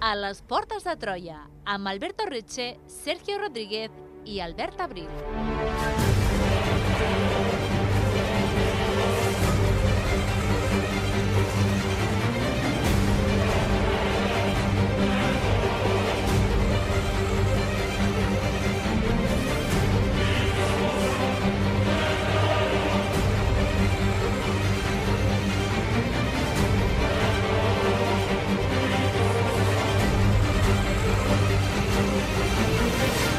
a les Portes de Troia, amb Alberto Reche, Sergio Rodríguez i Albert Abril.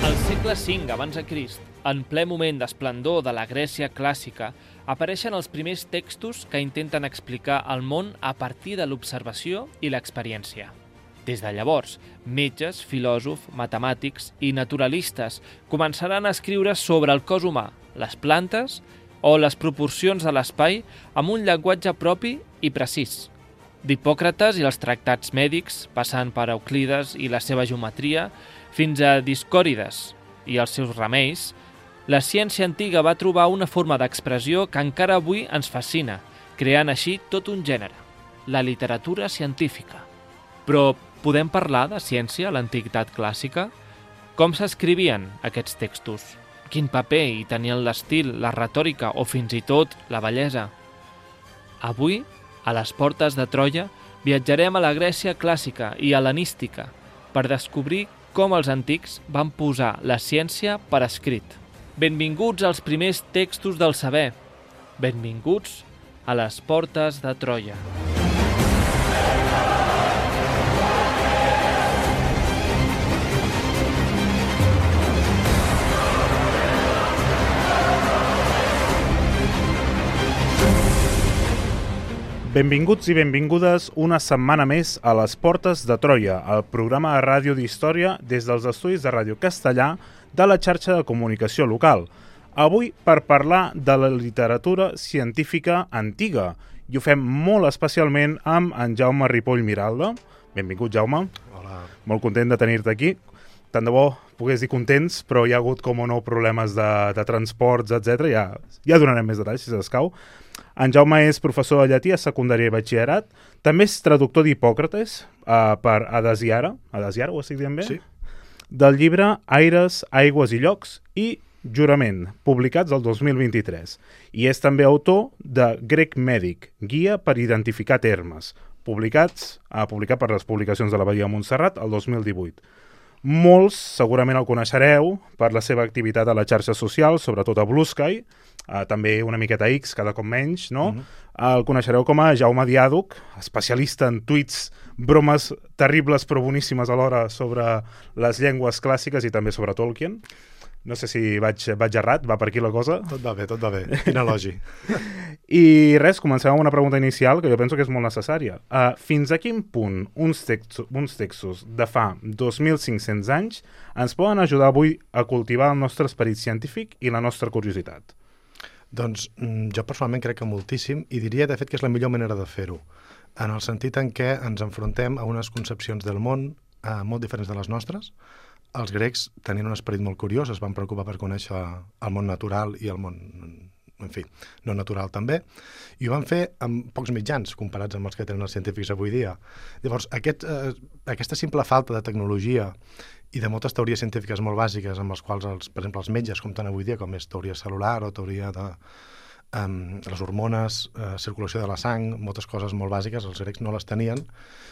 Al segle V abans de Crist, en ple moment d'esplendor de la Grècia clàssica, apareixen els primers textos que intenten explicar el món a partir de l'observació i l'experiència. Des de llavors, metges, filòsofs, matemàtics i naturalistes començaran a escriure sobre el cos humà, les plantes o les proporcions de l'espai amb un llenguatge propi i precís. D'Hipòcrates i els tractats mèdics, passant per Euclides i la seva geometria, fins a Discòrides i els seus remeis, la ciència antiga va trobar una forma d'expressió que encara avui ens fascina, creant així tot un gènere, la literatura científica. Però podem parlar de ciència a l'antiguitat clàssica? Com s'escrivien aquests textos? Quin paper hi tenien l'estil, la retòrica o fins i tot la bellesa? Avui, a les Portes de Troia, viatjarem a la Grècia clàssica i hel·lenística per descobrir com els antics van posar la ciència per escrit. Benvinguts als primers textos del saber. Benvinguts a les Portes de Troia. Benvinguts i benvingudes una setmana més a les Portes de Troia, el programa de ràdio d'història des dels estudis de Ràdio Castellà de la xarxa de comunicació local. Avui per parlar de la literatura científica antiga i ho fem molt especialment amb en Jaume Ripoll Miralda. Benvingut, Jaume. Hola. Molt content de tenir-te aquí. Tant de bo pogués dir contents, però hi ha hagut, com o no, problemes de transports, etc. Ja donarem més detalls, si s'escau. En Jaume és professor de llatí a secundària i batxillerat. També és traductor d'Hipòcrates per Adasiara. Adasiara, ho estic dient bé? Sí. Del llibre Aires, Aigües i Llocs i Jurament, publicats el 2023. I és també autor de Grec Mèdic, guia per identificar termes, publicat per les publicacions de l'Abadia de Montserrat el 2018. Molts segurament el coneixereu per la seva activitat a les xarxes socials, sobretot a Blue Sky, també una miqueta X, cada cop menys, no? El coneixereu com a Jaume Diàdoc, especialista en tuits, bromes terribles però boníssimes alhora sobre les llengües clàssiques i també sobre Tolkien. No sé si vaig errat, va per aquí la cosa. Tot va bé. Quin elogi. I res, comencem amb una pregunta inicial que jo penso que és molt necessària. Fins a quin punt uns textos de fa 2.500 anys ens poden ajudar avui a cultivar el nostre esperit científic i la nostra curiositat? Doncs jo personalment crec que moltíssim i diria de fet que és la millor manera de fer-ho, en el sentit en què ens enfrontem a unes concepcions del món molt diferents de les nostres. Els grecs tenien un esperit molt curiós, es van preocupar per conèixer el món natural i el món, en fi, no natural també, i ho van fer amb pocs mitjans comparats amb els que tenen els científics avui dia. Llavors, aquesta simple falta de tecnologia i de moltes teories científiques molt bàsiques amb les quals, per exemple, els metges compten avui dia, com és teoria celular o teoria de les hormones, circulació de la sang, moltes coses molt bàsiques, els grecs no les tenien.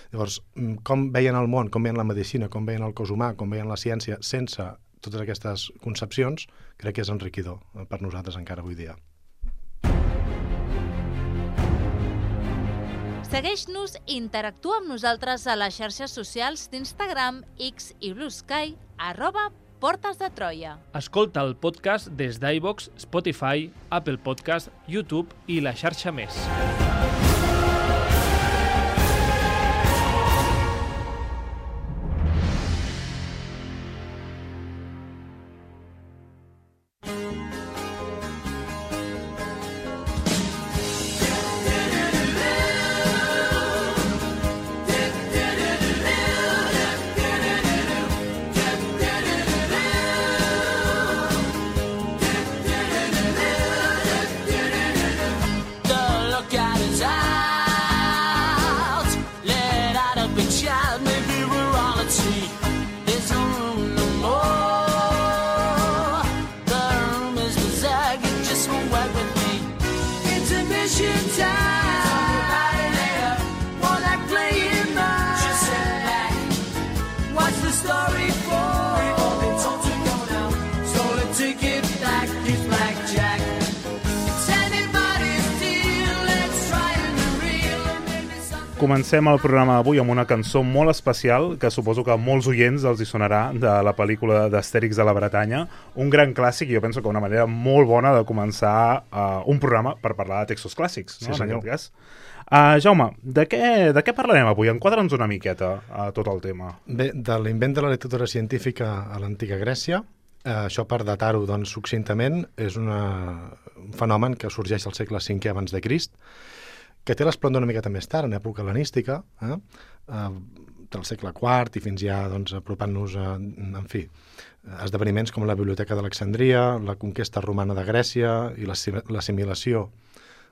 Llavors, com veien el món, com veien la medicina, com veien el cos humà, com veien la ciència, sense totes aquestes concepcions, crec que és enriquidor per nosaltres encara avui dia. Segueix-nos i interactua amb nosaltres a les xarxes socials d'Instagram, X i Blue Sky, @Portes de Troia. Escolta el podcast des d'iVoox, Spotify, Apple Podcast, YouTube i la xarxa més. Look at it. Comencem el programa d'avui amb una cançó molt especial que suposo que a molts oients els hi sonarà, de la pel·lícula d'Astèrix de la Bretanya, un gran clàssic i jo penso que una manera molt bona de començar un programa per parlar de textos clàssics, no? Sí, senyor. En aquest cas. Jaume, de què parlarem avui? Enquadra'ns una miqueta a tot el tema. Bé, de l'invent de la literatura científica a l'antiga Grècia, això per datar-ho doncs, succintament, és un fenomen que sorgeix al segle V abans de Crist, que té l'esplendor una miqueta més tard, en època hel·lenística, del segle IV i fins ja doncs, apropant-nos a, en fi, esdeveniments com la Biblioteca d'Alexandria, la conquesta romana de Grècia i l'assimilació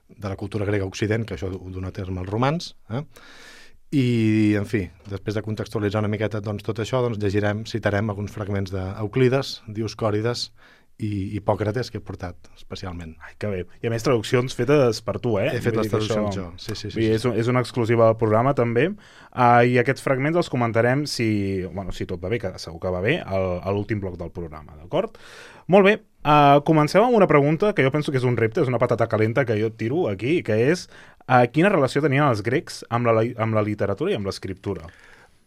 de la cultura grega a Occident, que això ho dona terme als romans. I, en fi, després de contextualitzar una miqueta doncs, tot això, doncs, citarem alguns fragments d'Euclides, Dioscòrides i Hipòcrates, que he portat especialment. Ai, que bé. I a més traduccions fetes per tu, eh? He fet les traduccions això... jo, sí. És una exclusiva del programa, també. I aquests fragments els comentarem, si tot va bé, que segur que va bé, a l'últim bloc del programa, d'acord? Molt bé. Comencem amb una pregunta que jo penso que és un repte, és una patata calenta que jo et tiro aquí, que és quina relació tenien els grecs amb la literatura i amb l'escriptura?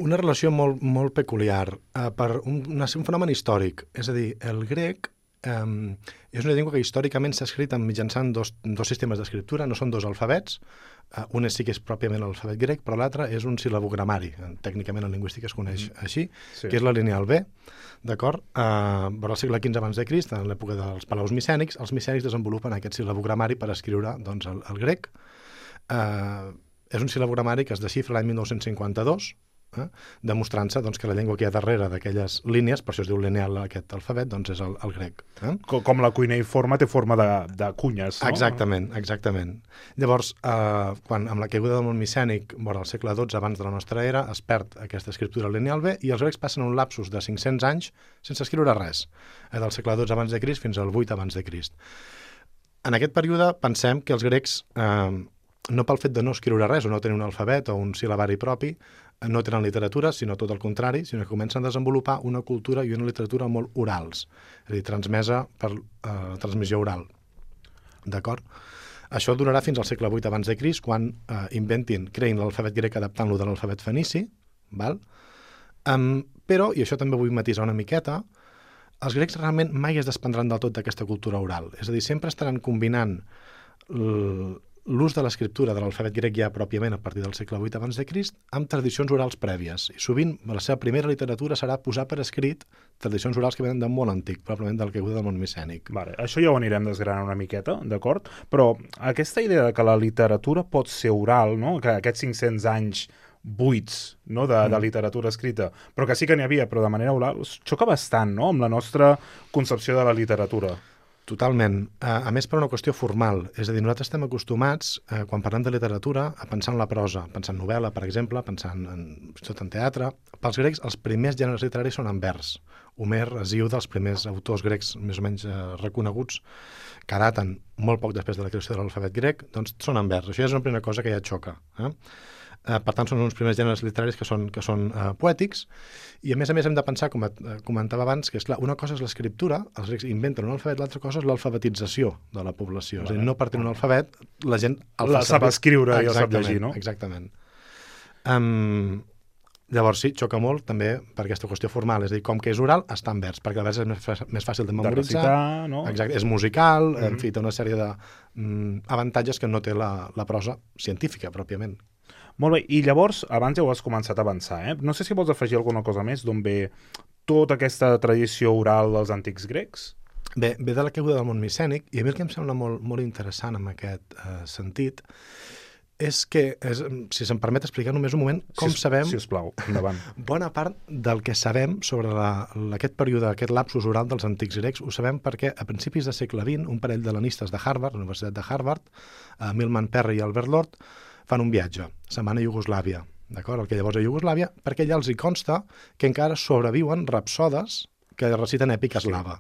Una relació molt, molt peculiar per un fenomen històric. És a dir, el grec és una llengua que històricament s'ha escrit mitjançant dos sistemes d'escriptura, no són dos alfabets, un sí que és pròpiament l'alfabet grec, però l'altre és un sil·labogramari, tècnicament en lingüística es coneix així, sí. Que és la lineal B, d'acord? Però al segle XV abans de Crist, en l'època dels palaus micènics, els micènics desenvolupen aquest sil·labogramari per escriure doncs, el grec. És un sil·labogramari que es desxifra l'any 1952, demostrant-se doncs, que la llengua que hi ha darrere d'aquelles línies, per això es diu lineal aquest alfabet, doncs és el grec. Com la cuineiforme té forma de cunyes, no? Exactament. Llavors, quan amb la caiguda del món micènic, vora el segle XII abans de la nostra era, es perd aquesta escriptura lineal B i els grecs passen un lapsus de 500 anys sense escriure res, del segle XII abans de Crist fins al 8 abans de Crist. En aquest període pensem que els grecs, no pel fet de no escriure res o no tenir un alfabet o un sil·labari propi, no tenen literatura, sinó tot el contrari, sinó que comencen a desenvolupar una cultura i una literatura molt orals, és a dir, transmesa per transmissió oral. D'acord? Això durarà fins al segle VIII abans de Crist, quan creïn l'alfabet grec adaptant-lo de l'alfabet fenici, val? Però, i això també vull matisar una miqueta, els grecs realment mai es desprendran del tot d'aquesta cultura oral, és a dir, sempre estaran combinant l'ús de l'escriptura de l'alfabet grec ja pròpiament a partir del segle VIII abans de Crist amb tradicions orals prèvies. I sovint la seva primera literatura serà posar per escrit tradicions orals que venen de molt antic, probablement del caiguda del món micènic. Vale, això ja ho anirem desgranant una miqueta, d'acord? Però aquesta idea de que la literatura pot ser oral, no? Que aquests 500 anys buits, no? de literatura escrita, però que sí que n'hi havia, però de manera oral, xoca bastant, no? Amb la nostra concepció de la literatura. Totalment. A més, per una qüestió formal. És a dir, nosaltres estem acostumats, quan parlem de literatura, a pensar en la prosa, pensar en novel·la, per exemple, pensant tot en teatre. Pels grecs, els primers gèneres literaris són en vers. Homer, Hesíode, els primers autors grecs més o menys reconeguts, que daten molt poc després de la creació de l'alfabet grec, doncs són en vers. Això ja és una primera cosa que ja xoca. Per tant, són uns primers gèneres literaris que són poètics, i a més hem de pensar, com comentava abans, que és clar, una cosa és l'escriptura, els grecs inventen un alfabet, l'altra cosa és l'alfabetització de la població. És a dir, no partint un alfabet, la gent la sap escriure i el sap llegir, no? Exactament. Llavors sí, xoca molt també per aquesta qüestió formal, és a dir, com que és oral, està en vers, perquè el vers és més fàcil de memoritzar, de recitar, no? Exacte, és musical, en fi, té una sèrie d'avantatges que no té la prosa científica, pròpiament. Molt bé, i llavors, abans ja ho has començat a avançar, No sé si vols afegir alguna cosa més d'on ve tota aquesta tradició oral dels antics grecs? Bé, ve de la caiguda del món micènic, i a mi el que em sembla molt, molt interessant en aquest sentit és que, si se'm permet explicar només un moment, com sabem... Sisplau, endavant. Bona part del que sabem sobre aquest període, aquest lapsus oral dels antics grecs, ho sabem perquè a principis del segle XX, un parell d'hel·lenistes de Harvard, la Universitat de Harvard, Milman Perry i Albert Lord, fan un viatge, se'n van a Iugoslàvia, d'acord? El que llavors a Iugoslàvia, perquè allà els hi consta que encara sobreviuen rapsodes que reciten èpica eslava.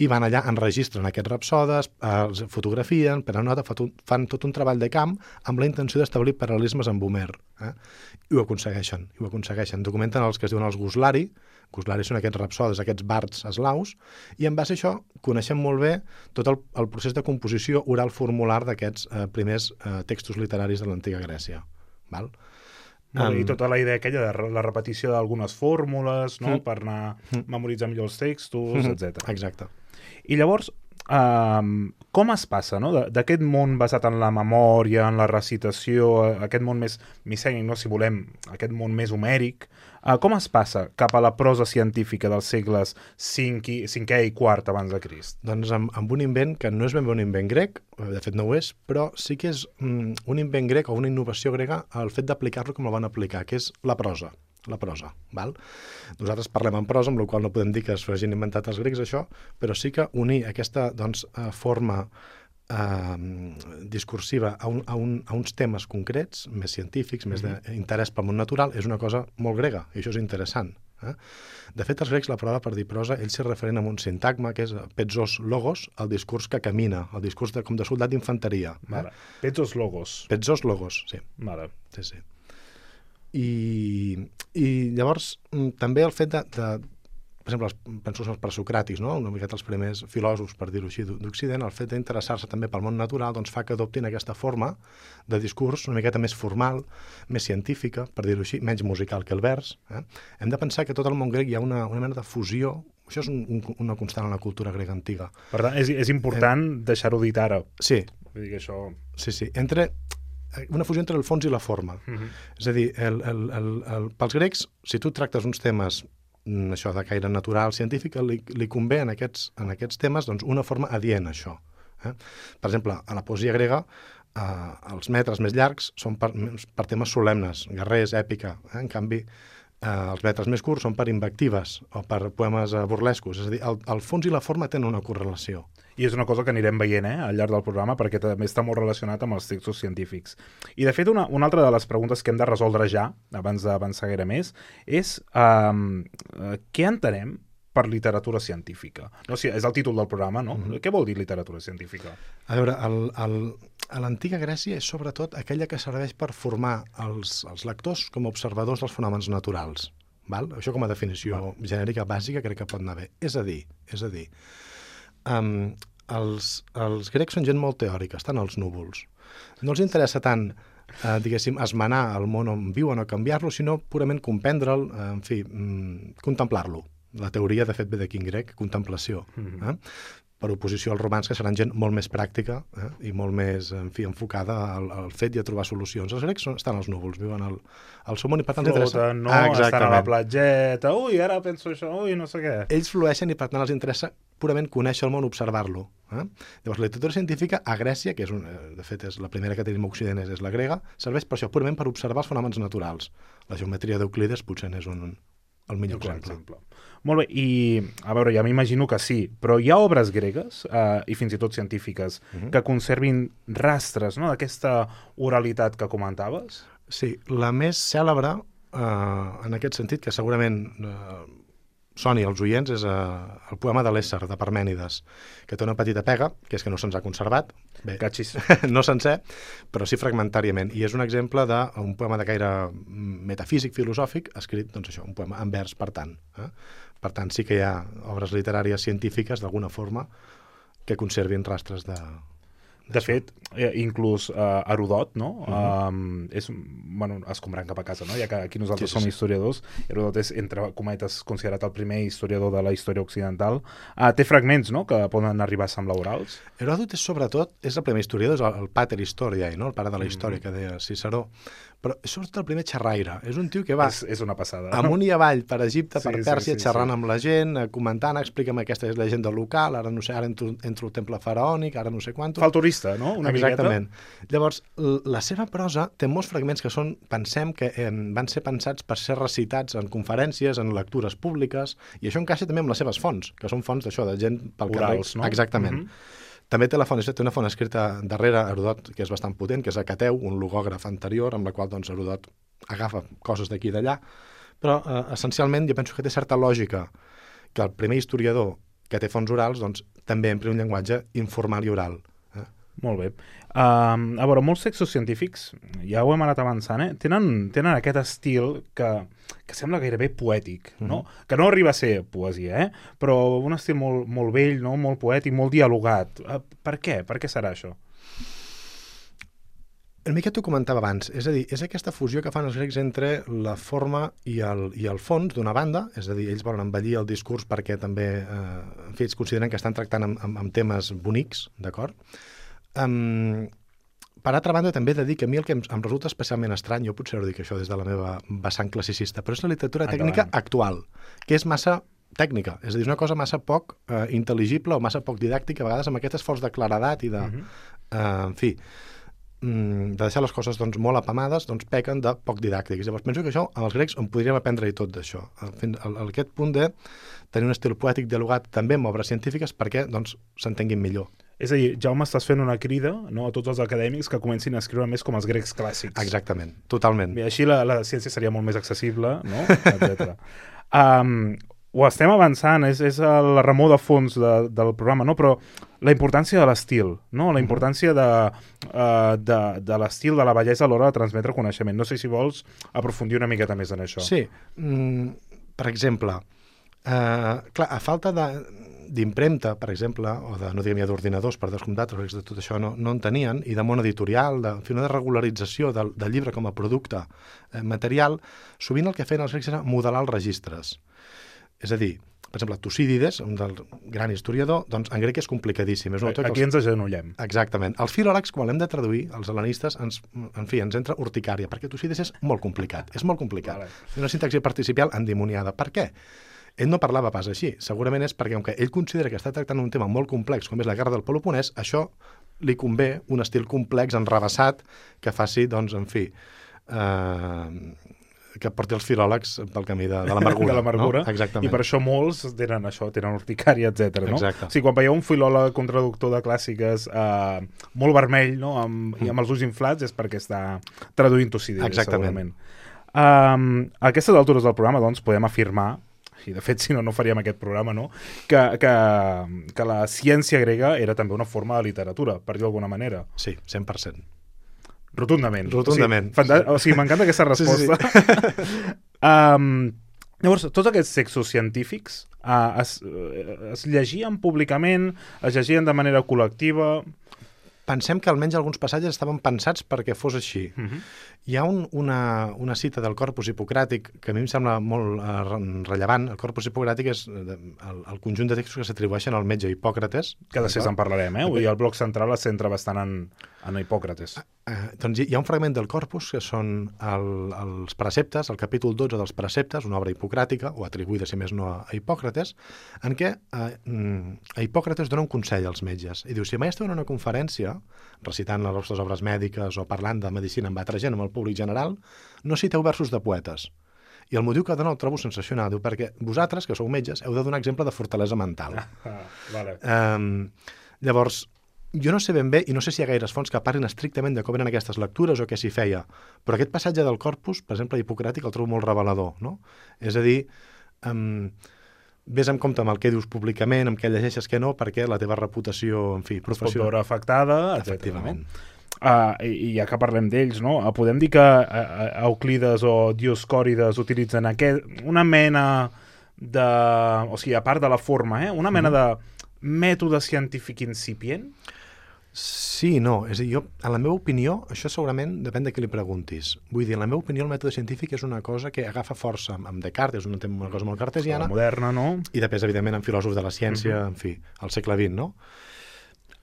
I van allà, enregistren aquests rapsodes, els fotografien, prenen nota, fan tot un treball de camp amb la intenció d'establir paral·lelismes amb Homer. I ho aconsegueixen. Documenten els que es diuen els guslari. Guslari són aquests rapsodes, aquests bards eslaus, i en base a això coneixem molt bé tot el procés de composició oral formular d'aquests primers textos literaris de l'antiga Grècia. Val? I tota la idea aquella de la repetició d'algunes fórmules, no? Per anar memoritzant millor els textos, etc. Exacte. I llavors, com es passa, no? D'aquest món basat en la memòria, en la recitació, aquest món més micènic, no? Si volem, aquest món més homèric, com es passa cap a la prosa científica dels segles V i IV abans de Crist? Doncs amb un invent que no és ben bé un invent grec, de fet no ho és, però sí que és un invent grec o una innovació grega el fet d'aplicar-lo com el van aplicar, que és la prosa. Val? Nosaltres parlem en prosa, amb la qual no podem dir que es hagin inventat els grecs això, però sí que unir aquesta forma discursiva a uns temes concrets, més científics, més d'interès pel món natural, és una cosa molt grega, i això és interessant. De fet, els grecs, la paraula per dir prosa, ells s'hi referen a un sintagma, que és petzos logos, el discurs que camina, el discurs com de soldat d'infanteria. Petzos logos. Petzos logos, sí. Vale. Sí. I llavors també el fet de per exemple, penso en els presocràtics, no? Una miqueta els primers filòsofs, per dir-ho així, d'Occident, el fet d'interessar-se també pel món natural doncs fa que adoptin aquesta forma de discurs una miqueta més formal, més científica, per dir-ho així, menys musical que el vers. Hem de pensar que tot el món grec hi ha una mena de fusió. Això és una constant en la cultura grega antiga. Per tant, és important deixar-ho dit ara. Sí. Vull dir que això... Sí. Una fusió entre el fons i la forma. És a dir, pels grecs, si tu tractes uns temes això de caire natural, científic, li convé en aquests temes doncs, una forma adient a això. Per exemple, a la poesia grega, els metres més llargs són per temes solemnes, guerrers, èpica. En canvi, els metres més curts són per invectives o per poemes burlescos. És a dir, el fons i la forma tenen una correlació. I és una cosa que anirem veient al llarg del programa, perquè també està molt relacionat amb els textos científics. I, de fet, una altra de les preguntes que hem de resoldre ja, abans d'avançar gaire més, és què entenem per literatura científica? No, és el títol del programa, no? Què vol dir literatura científica? A veure, a l'antiga Grècia és sobretot aquella que serveix per formar els lectors com a observadors dels fenòmens naturals. Val? Això com a definició genèrica bàsica crec que pot anar bé. És a dir, els grecs són gent molt teòrica, estan als núvols. No els interessa tant, diguéssim, esmenar el món on viuen o canviar-lo, sinó purament comprendre'l, en fi, contemplar-lo. La teoria, de fet, ve d'aquí en grec, contemplació. Per oposició als romans, que seran gent molt més pràctica i molt més, en fi, enfocada al fet i a trobar solucions. Els grecs estan als núvols, viuen al seu món i per tant els interessa... Floten, no? Estan a la platgeta, ara penso això, no sé què. Ells flueixen i per tant els interessa purament conèixer el món, observar-lo. Llavors, la literatura científica a Grècia, que de fet és la primera que tenim a Occident, és la grega, serveix per això, purament per observar els fenòmens naturals. La geometria d'Euclides potser n'és el millor exemple. Molt bé, i a veure, ja m'imagino que sí, però hi ha obres gregues, i fins i tot científiques, que conservin rastres, no?, d'aquesta oralitat que comentaves? Sí, la més cèlebre, en aquest sentit, que segurament soni als oients, és el poema de l'Ésser, de Parmènides, que té una petita pega, que és que no se'ns ha conservat. Bé, no sencer, però sí fragmentàriament. I és un exemple d'un poema de caire metafísic, filosòfic, escrit, doncs això, un poema en vers, per tant. Per tant, sí que hi ha obres literàries científiques, d'alguna forma, que conservin rastres de... De fet, inclús Heròdot, no? És, escombrant cap a casa, no? Ja que aquí nosaltres som historiadors, Heròdot és, entre cometes, considerat el primer historiador de la història occidental. Té fragments, no?, que poden arribar a semblar orals. Heròdot és, sobretot, és el primer historiador, és el pater historiae, no?, el pare de la història, que deia Ciceró. Però és sobretot el primer xerraire. És un tio que va és una passada. Amunt i avall per Egipte, per Pèrsia, xerrant amb la gent, comentant, explica'm aquesta és llegenda local, ara no sé, ara entro al temple faraònic, ara no sé quant. Fa el turista, no? Exactament. Llavors, la seva prosa té molts fragments que pensem que van ser pensats per ser recitats en conferències, en lectures públiques, i això encaixa també amb les seves fonts, que són fonts d'això, de gent pel carrer. Orals, no? Exactament. També té una font escrita darrere Heròdot, que és bastant potent, que és Hecateu, un logògraf anterior, amb la qual doncs, Heròdot agafa coses d'aquí i d'allà, però essencialment jo penso que té certa lògica que el primer historiador que té fonts orals doncs, també empri un llenguatge informal i oral. Molt bé. A veure, molts textos científics, ja ho hem anat avançant, tenen aquest estil que sembla gairebé poètic, no? Que no arriba a ser poesia, però un estil molt vell, no? Molt poètic, molt dialogat. Per què? Per què serà això? Una mica t'ho comentava abans, és a dir, és aquesta fusió que fan els grecs entre la forma i el fons d'una banda, és a dir, ells volen embellir el discurs perquè també, en fi, ells consideren que estan tractant amb temes bonics, d'acord? Per altra banda, també he de dir que a mi el que em resulta especialment estrany, jo potser ho dic això des de la meva vessant classicista, però és la literatura tècnica actual, que és massa tècnica, és a dir, és una cosa massa poc intel·ligible o massa poc didàctica, a vegades amb aquest esforç de claredat i de... en fi, de deixar les coses doncs, molt apamades, doncs pequen de poc didàctics. Llavors penso que això, amb els grecs, en podríem aprendre-hi tot d'això. Aquest punt de tenir un estil poètic dialogat també amb obres científiques perquè doncs, s'entenguin millor. És a dir, Jaume, estàs fent una crida, no, a tots els acadèmics que comencin a escriure més com els grecs clàssics. Exactament, totalment. Bé, així la ciència seria molt més accessible, no? Etcètera. Ho estem avançant, és la remor de fons del programa, no? Però la importància de l'estil, no? La importància de l'estil, de la bellesa a l'hora de transmetre coneixement. No sé si vols aprofundir una miqueta més en això. Sí. Per exemple, clar, a falta d'impremta, per exemple, o no diguem ja d'ordinadors, per descomptat, de tot això no en tenien, i de món editorial, una regularització del llibre com a producte material, sovint el que feien els grecs era modelar els registres. És a dir, per exemple, Tucídides, un del gran historiador, doncs en grec és complicadíssim. Aquí ens agenollem. Exactament. Els filòlegs, quan l'hem de traduir, els hel·lenistes, ens entra urticària, perquè Tucídides és molt complicat. És molt complicat. Vale. Una sintaxi participial endimoniada. Per què? Ell no parlava pas així. Segurament és perquè, com que ell considera que està tractant un tema molt complex, com és la guerra del Peloponès, això li convé un estil complex, enrevessat, que faci, doncs, en fi... que porti els filòlegs pel camí de l'amargura. De l'amargura, no? Exactament. I per això molts tenen això, tenen urticària, etc. No? Exacte. O sigui, quan veieu un filòleg, un traductor de clàssiques molt vermell, no? I amb els ulls inflats, és perquè està traduint Tucídides, segurament. A aquestes altures del programa, doncs, podem afirmar, i de fet, si no, no faríem aquest programa, no? Que la ciència grega era també una forma de literatura, per dir d'alguna manera. Sí, 100%. Rotundament. Rotundament. O sigui, m'encanta aquesta resposta. Sí. Llavors, tots aquests textos científics es llegien públicament, es llegien de manera col·lectiva... Pensem que almenys alguns passatges estaven pensats perquè fos així. Hi ha una cita del Corpus Hipocràtic que a mi em sembla molt rellevant. El Corpus Hipocràtic és el conjunt de textos que s'atribueixen al metge Hipòcrates. Que després en parlarem, eh? I el bloc central es centra bastant en Hipòcrates. Doncs hi ha un fragment del Corpus que són els preceptes, el capítol 12 dels preceptes, una obra hipocràtica, o atribuïda, si més no, a Hipòcrates, en què a Hipòcrates dona un consell als metges. I diu, si mai esteu en una conferència, recitant les vostres obres mèdiques o parlant de medicina amb altra gent, amb el públic general, no citeu versos de poetes. I el motiu que dona el trobo sensacional. Diu, perquè vosaltres, que sou metges, heu de donar exemple de fortalesa mental. Vale. Llavors, jo no sé ben bé, i no sé si hi ha gaires fonts que parlin estrictament de com eren aquestes lectures o què s'hi feia, però aquest passatge del Corpus, per exemple, Hipocràtic, el trobo molt revelador, no? És a dir, vés amb compte amb el que dius públicament, amb què llegeixes, què no, perquè la teva reputació, en fi, professional... Es pot veure afectada, efectivament. I ja que parlem d'ells, no? Podem dir que Euclides o Dioscòrides utilitzen una mena de... O sigui, a part de la forma, una mena de mètode científic incipient? Sí, no. És a dir, en la meva opinió, això segurament depèn de qui li preguntis. Vull dir, en la meva opinió, el mètode científic és una cosa que agafa força amb Descartes, és una cosa molt cartesiana. Moderna, no? I després, evidentment, en filòsofs de la ciència, en fi, al segle XX, no?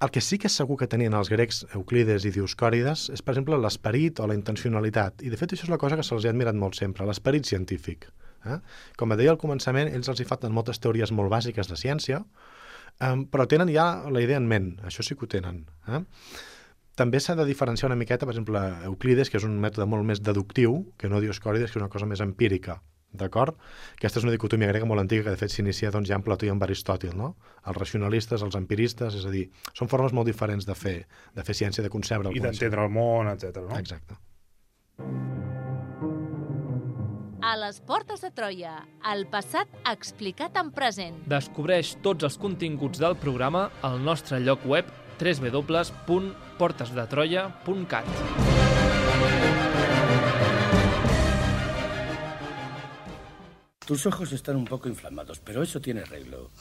El que sí que és segur que tenien els grecs Euclides i Dioscòrides és, per exemple, l'esperit o la intencionalitat. I, de fet, això és la cosa que se'ls ha admirat molt sempre, l'esperit científic. Com deia al començament, ells els hi falten moltes teories molt bàsiques de ciència, però tenen ja la idea en ment, això sí que ho tenen. També s'ha de diferenciar una miqueta, per exemple, Euclides, que és un mètode molt més deductiu, que no Dioscòrides, que és una cosa més empírica, d'acord? Aquesta és una dicotomia grega molt antiga que de fet s'inicia doncs, ja en Plató i en Aristòtil, no? Els racionalistes, els empiristes, és a dir, són formes molt diferents de fer ciència, de concebre el coneixement. I d'entendre el món, etc. no? Exacte. A les portes de Troia, el passat explicat en present. Descobreix tots els continguts del programa al nostre lloc web www.portesdetroia.cat. Tus ojos están un poco inflamados, pero eso tiene arreglo.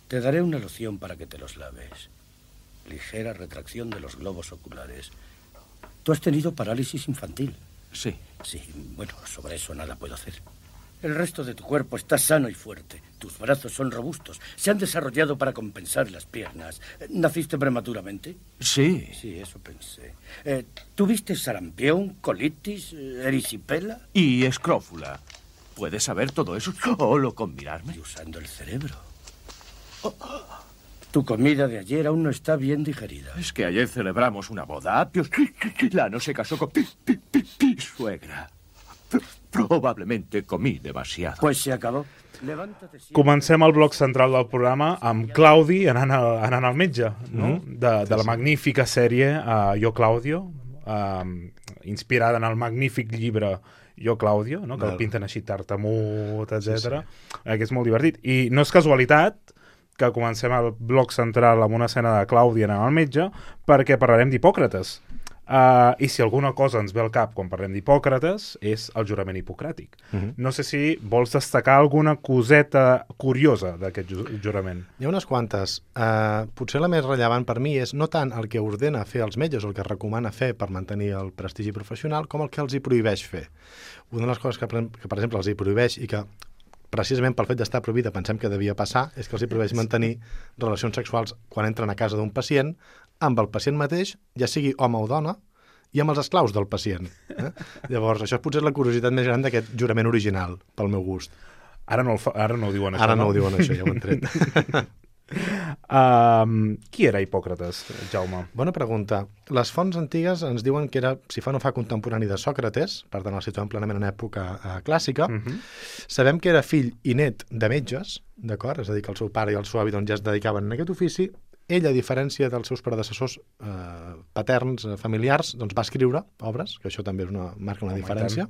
Te daré una loción para que te los laves. Ligera retracción de los globos oculares. Tú has tenido parálisis infantil. Sí. Sí, bueno, sobre eso nada puedo hacer. El resto de tu cuerpo está sano y fuerte. Tus brazos son robustos. Se han desarrollado para compensar las piernas. ¿Naciste prematuramente? Sí. Sí, eso pensé. ¿Tuviste sarampión, colitis, erisipela? Y escrófula. ¿Puedes saber todo eso solo con mirarme? Y usando el cerebro. Tu comida de ayer aún no está bien digerida. Es que ayer celebramos una boda. Lano se casó con mi suegra. Probablemente comí demasiado. Pues se acabó. Levántate. Comencem el bloc central del programa amb Claudi anant al metge, no? De la magnífica sèrie Jo Claudio, inspirada en el magnífic llibre Jo Claudio, no? Que el pinten així tartamut, etc. Que és molt divertit. I no és casualitat que comencem el bloc central amb una escena de Claudi anant al metge, perquè parlarem d'Hipòcrates. I si alguna cosa ens ve al cap quan parlem d'Hipòcrates és el jurament hipocràtic. No sé si vols destacar alguna coseta curiosa d'aquest jurament. Hi ha unes quantes. Potser la més rellevant per mi és no tant el que ordena fer els metges o el que recomana fer per mantenir el prestigi professional com el que els hi prohibeix fer. Una de les coses que per exemple, els hi prohibeix i que precisament pel fet d'estar prohibida pensem que devia passar és que els hi prohibeix mantenir relacions sexuals quan entren a casa d'un pacient amb el pacient mateix, ja sigui home o dona, i amb els esclaus del pacient. Llavors, això potser és la curiositat més gran d'aquest jurament original, pel meu gust. Ara no ho diuen això, Ara no ho diuen això, ja ho han tret. Qui era Hipòcrates, Jaume? Bona pregunta. Les fonts antigues ens diuen que era, si fa no fa, contemporani de Sòcrates, per tant el situem plenament en època clàssica. Sabem que era fill i net de metges, d'acord? És a dir, que el seu pare i el seu avi ja es dedicaven a aquest ofici. Ell, a diferència dels seus predecessors paterns, familiars, doncs va escriure obres, que això també marca una diferència.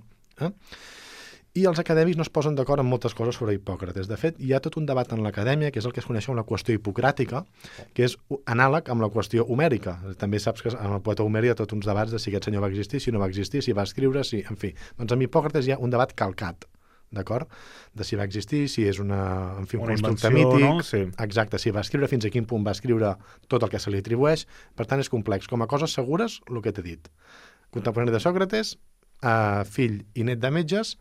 I els acadèmics no es posen d'acord en moltes coses sobre Hipòcrates. De fet, hi ha tot un debat en l'acadèmia, que és el que es coneix com la qüestió hipocràtica, que és anàleg amb la qüestió homèrica. També saps que en el poeta Homer hi ha tots uns debats de si aquest senyor va existir, si no va existir, si va escriure, si... En fi, doncs amb Hipòcrates hi ha un debat calcat, d'acord? De si va existir, si és un constructe mític, no? Sí. Exacte, si va escriure, fins a quin punt va escriure tot el que se li atribueix. Per tant, és complex. Com a coses segures, el que t'he dit. Contemporani de Sòcrates, fill i net de metges,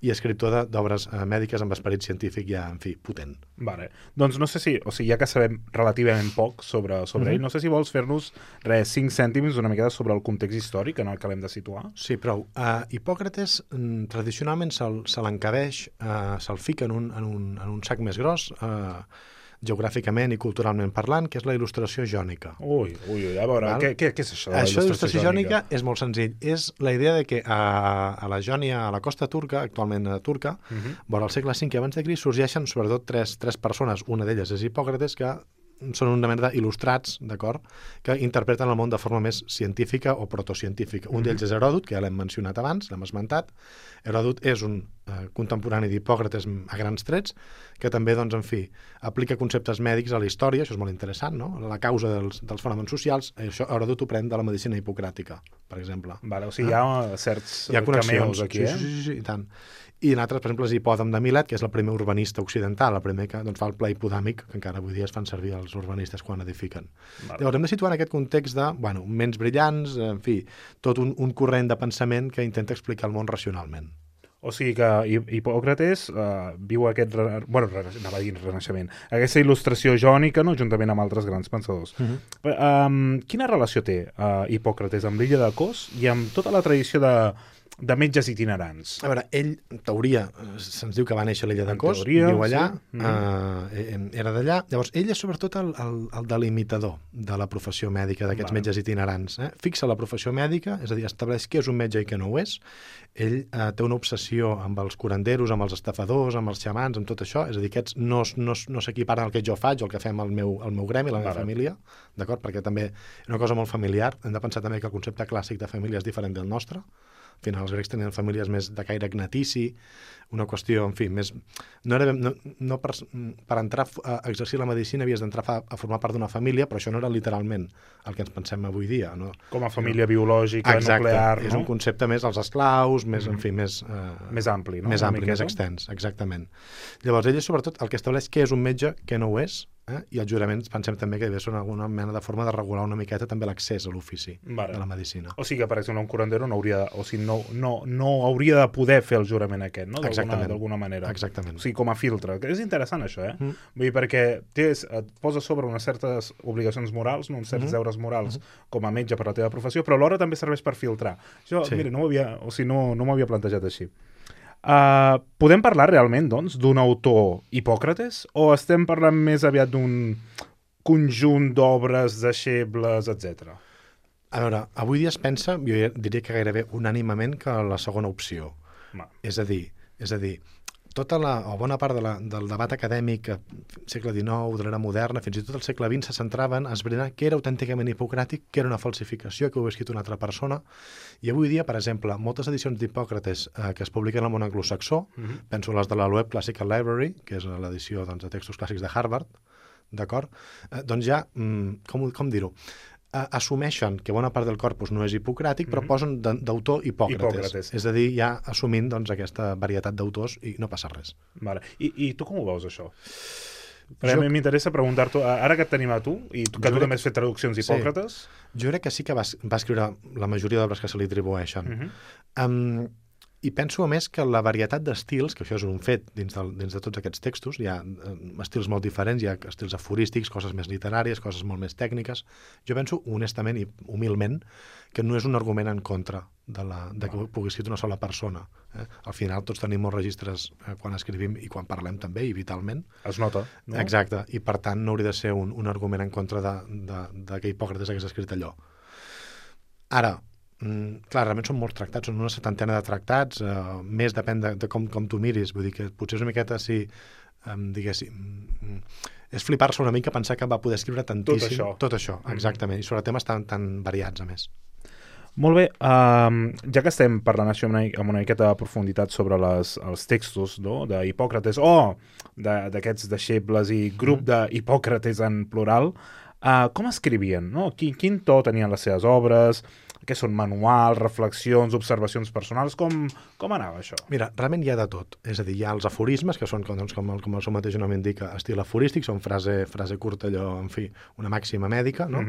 i escriptor d'obres mèdiques amb esperit científic ja, en fi, potent. Vale. Doncs no sé si, ja que sabem relativament poc sobre ell, no sé si vols fer-nos 5 cèntims una miqueta sobre el context històric en el que l'hem de situar. Sí, prou. Hipòcrates tradicionalment se l'encabeix, se'l fica en un sac més gros, geogràficament i culturalment parlant, que és la il·lustració jònica. Ui, a veure, què és això de la il·lustració il·lustració jònica? És molt senzill. És la idea de que a la Jònia, a la costa turca, actualment turca, vora el segle V abans de Crist, sorgeixen sobretot tres persones, una d'elles és Hipòcrates, que són una mena d'il·lustrats, d'acord, que interpreten el món de forma més científica o protocientífica. Un d'ells és Heròdot, que ja l'hem mencionat abans, l'hem esmentat. Heròdot és un contemporani d'Hipòcrates a grans trets, que també, doncs, en fi, aplica conceptes mèdics a la història, això és molt interessant, no? La causa dels fenòmens socials, això Heròdot ho pren de la medicina hipocràtica, per exemple. Vale, o sigui, hi ha certs cameos aquí, Sí, i tant. I en altres, per exemple, és Hipòdam de Milet, que és el primer urbanista occidental, el primer que fa el pla hipodàmic, que encara avui dia es fan servir els urbanistes quan edifiquen. Vale. Llavors, hem de situar en aquest context de, ments brillants, en fi, tot un corrent de pensament que intenta explicar el món racionalment. O sigui que Hipòcrates viu aquest, anava a dir renaixement, aquesta il·lustració jònica, no?, juntament amb altres grans pensadors. Quina relació té Hipòcrates amb l'illa de Kos i amb tota la tradició de metges itinerants? A veure, ell, en teoria, se'ns diu que va néixer a l'illa de Kos, viu allà, era d'allà. Llavors, ell és sobretot el delimitador de la professió mèdica d'aquests metges itinerants. Fixa la professió mèdica, és a dir, estableix què és un metge i què no ho és. Ell té una obsessió amb els curanderos, amb els estafadors, amb els xamans, amb tot això. És a dir, aquests no s'equiparen al que jo faig o el que fem al meu gremi, la meva família, d'acord? Perquè també és una cosa molt familiar. Hem de pensar també que el concepte clàssic de família és diferent del nostre. Al final, els grecs tenien famílies més de caire gnatici, una qüestió, en fi, més... No per entrar a exercir la medicina havies d'entrar a formar part d'una família, però això no era literalment el que ens pensem avui dia, no? Com a família biològica, nuclear, no? És un concepte més als esclaus, més, en fi, més ampli, no? Més ampli, més extens, exactament. Llavors, ell és sobretot el que estableix què és un metge, què no ho és, I els juraments pensem també que són alguna mena de forma de regular una miqueta també l'accés a l'ofici de la medicina. O sigui que, per exemple, un curandero no hauria hauria de poder fer el jurament aquest, no? D'alguna manera. Exactament. O sigui, com a filtre. Que és interessant, això, Vull dir, perquè et posa sobre unes certes obligacions morals, uns certs deures morals com a metge per la teva professió, però alhora també serveix per filtrar. Això, mira, no m'havia plantejat així. Podem parlar realment, doncs, d'un autor Hipòcrates o estem parlant més aviat d'un conjunt d'obres, deixebles, etc.? A veure, avui dia es pensa, jo diria que gairebé unànimement, que la segona opció. És a dir, tota o bona part del debat acadèmic segle XIX, de l'era moderna, fins i tot el segle XX, se centrava en esbrinar què era autènticament hipocràtic, què era una falsificació, que ho havia escrit una altra persona. I avui dia, per exemple, moltes edicions d'Hipòcrates que es publiquen al món anglosaxó, penso les de la Loeb Classical Library, que és l'edició de textos clàssics de Harvard, d'acord? Doncs ja, com dir-ho, assumeixen que bona part del corpus no és hipocràtic, però posen d'autor Hipòcrates. És a dir, ja assumint aquesta varietat d'autors i no passa res. Vale. I tu com ho veus, això? Perquè a mi m'interessa preguntar-t'ho, ara que et tenim a tu, i que tu també has fet traduccions d'Hipòcrates... Jo crec que sí que va escriure la majoria d'obres que se li atribueixen. I penso, a més, que la varietat d'estils, que això és un fet dins de tots aquests textos, hi ha estils molt diferents, hi ha estils aforístics, coses més literàries, coses molt més tècniques. Jo penso, honestament i humilment, que no és un argument en contra de que pugui escriure una sola persona. Al final tots tenim molts registres quan escrivim i quan parlem també, i vitalment. Es nota, no? Exacte, i per tant no hauria de ser un argument en contra de que Hipòcrates hagués escrit allò. Ara, clar, realment són molts tractats, són una 70 de tractats, més depèn de com tu miris, vull dir que potser és una miqueta diguéssim, és flipar-se una mica pensar que va poder escriure tantíssim. Tot això, exactament, i sobre temes tan variats, a més. Molt bé, ja que estem parlant això amb una miqueta de profunditat sobre els textos d'Hipòcrates o d'aquests deixebles i grup d'Hipòcrates en plural, com escrivien? Quin to tenien les seves obres? Què són manuals, reflexions, observacions personals? Com anava això? Mira, realment hi ha de tot. És a dir, hi ha els aforismes, que són, com el seu mateix nom indica, estil aforístic, són frase curta, allò, en fi, una màxima mèdica, no?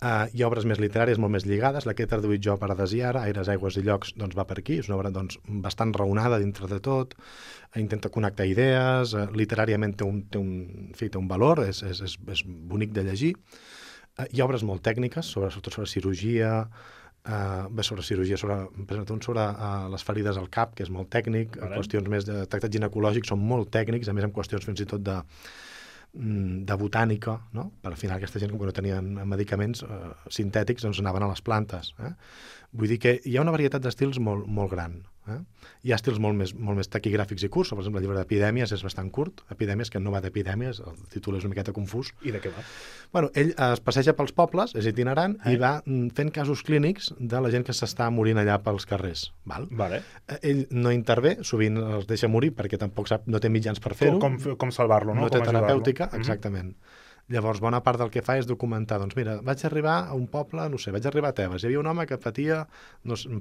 Hi ha obres més literàries, molt més lligades. La que he traduït jo per Adesiara, Aires, Aigües i Llocs, doncs va per aquí. És una obra bastant raonada dintre de tot. Intenta connectar idees. Literàriament té un valor, és bonic de llegir. Hi ha obres molt tècniques, sobretot sobre cirurgia, sobre les ferides al cap, que és molt tècnic, qüestions més de tractats ginecològics són molt tècnics, a més amb qüestions fins i tot de botànica, no? Per al final aquesta gent, com que no tenien medicaments sintètics, doncs anaven a les plantes. Vull dir que hi ha una varietat d'estils molt gran. Hi ha estils molt més taquigràfics i curts. Per exemple, el llibre d'Epidèmies és bastant curt. Epidèmies, que no va d'epidèmies, el títol és una miqueta confús. I de què va? Bueno, ell es passeja pels pobles, és itinerant, i va fent casos clínics de la gent que s'està morint allà pels carrers. Vale. Ell no intervé, sovint els deixa morir perquè tampoc no té mitjans per fer-ho. Com salvar-lo, no? No té terapèutica, exactament. Llavors, bona part del que fa és documentar, doncs mira, vaig arribar a un poble, no sé, vaig arribar a Tebes, hi havia un home que patia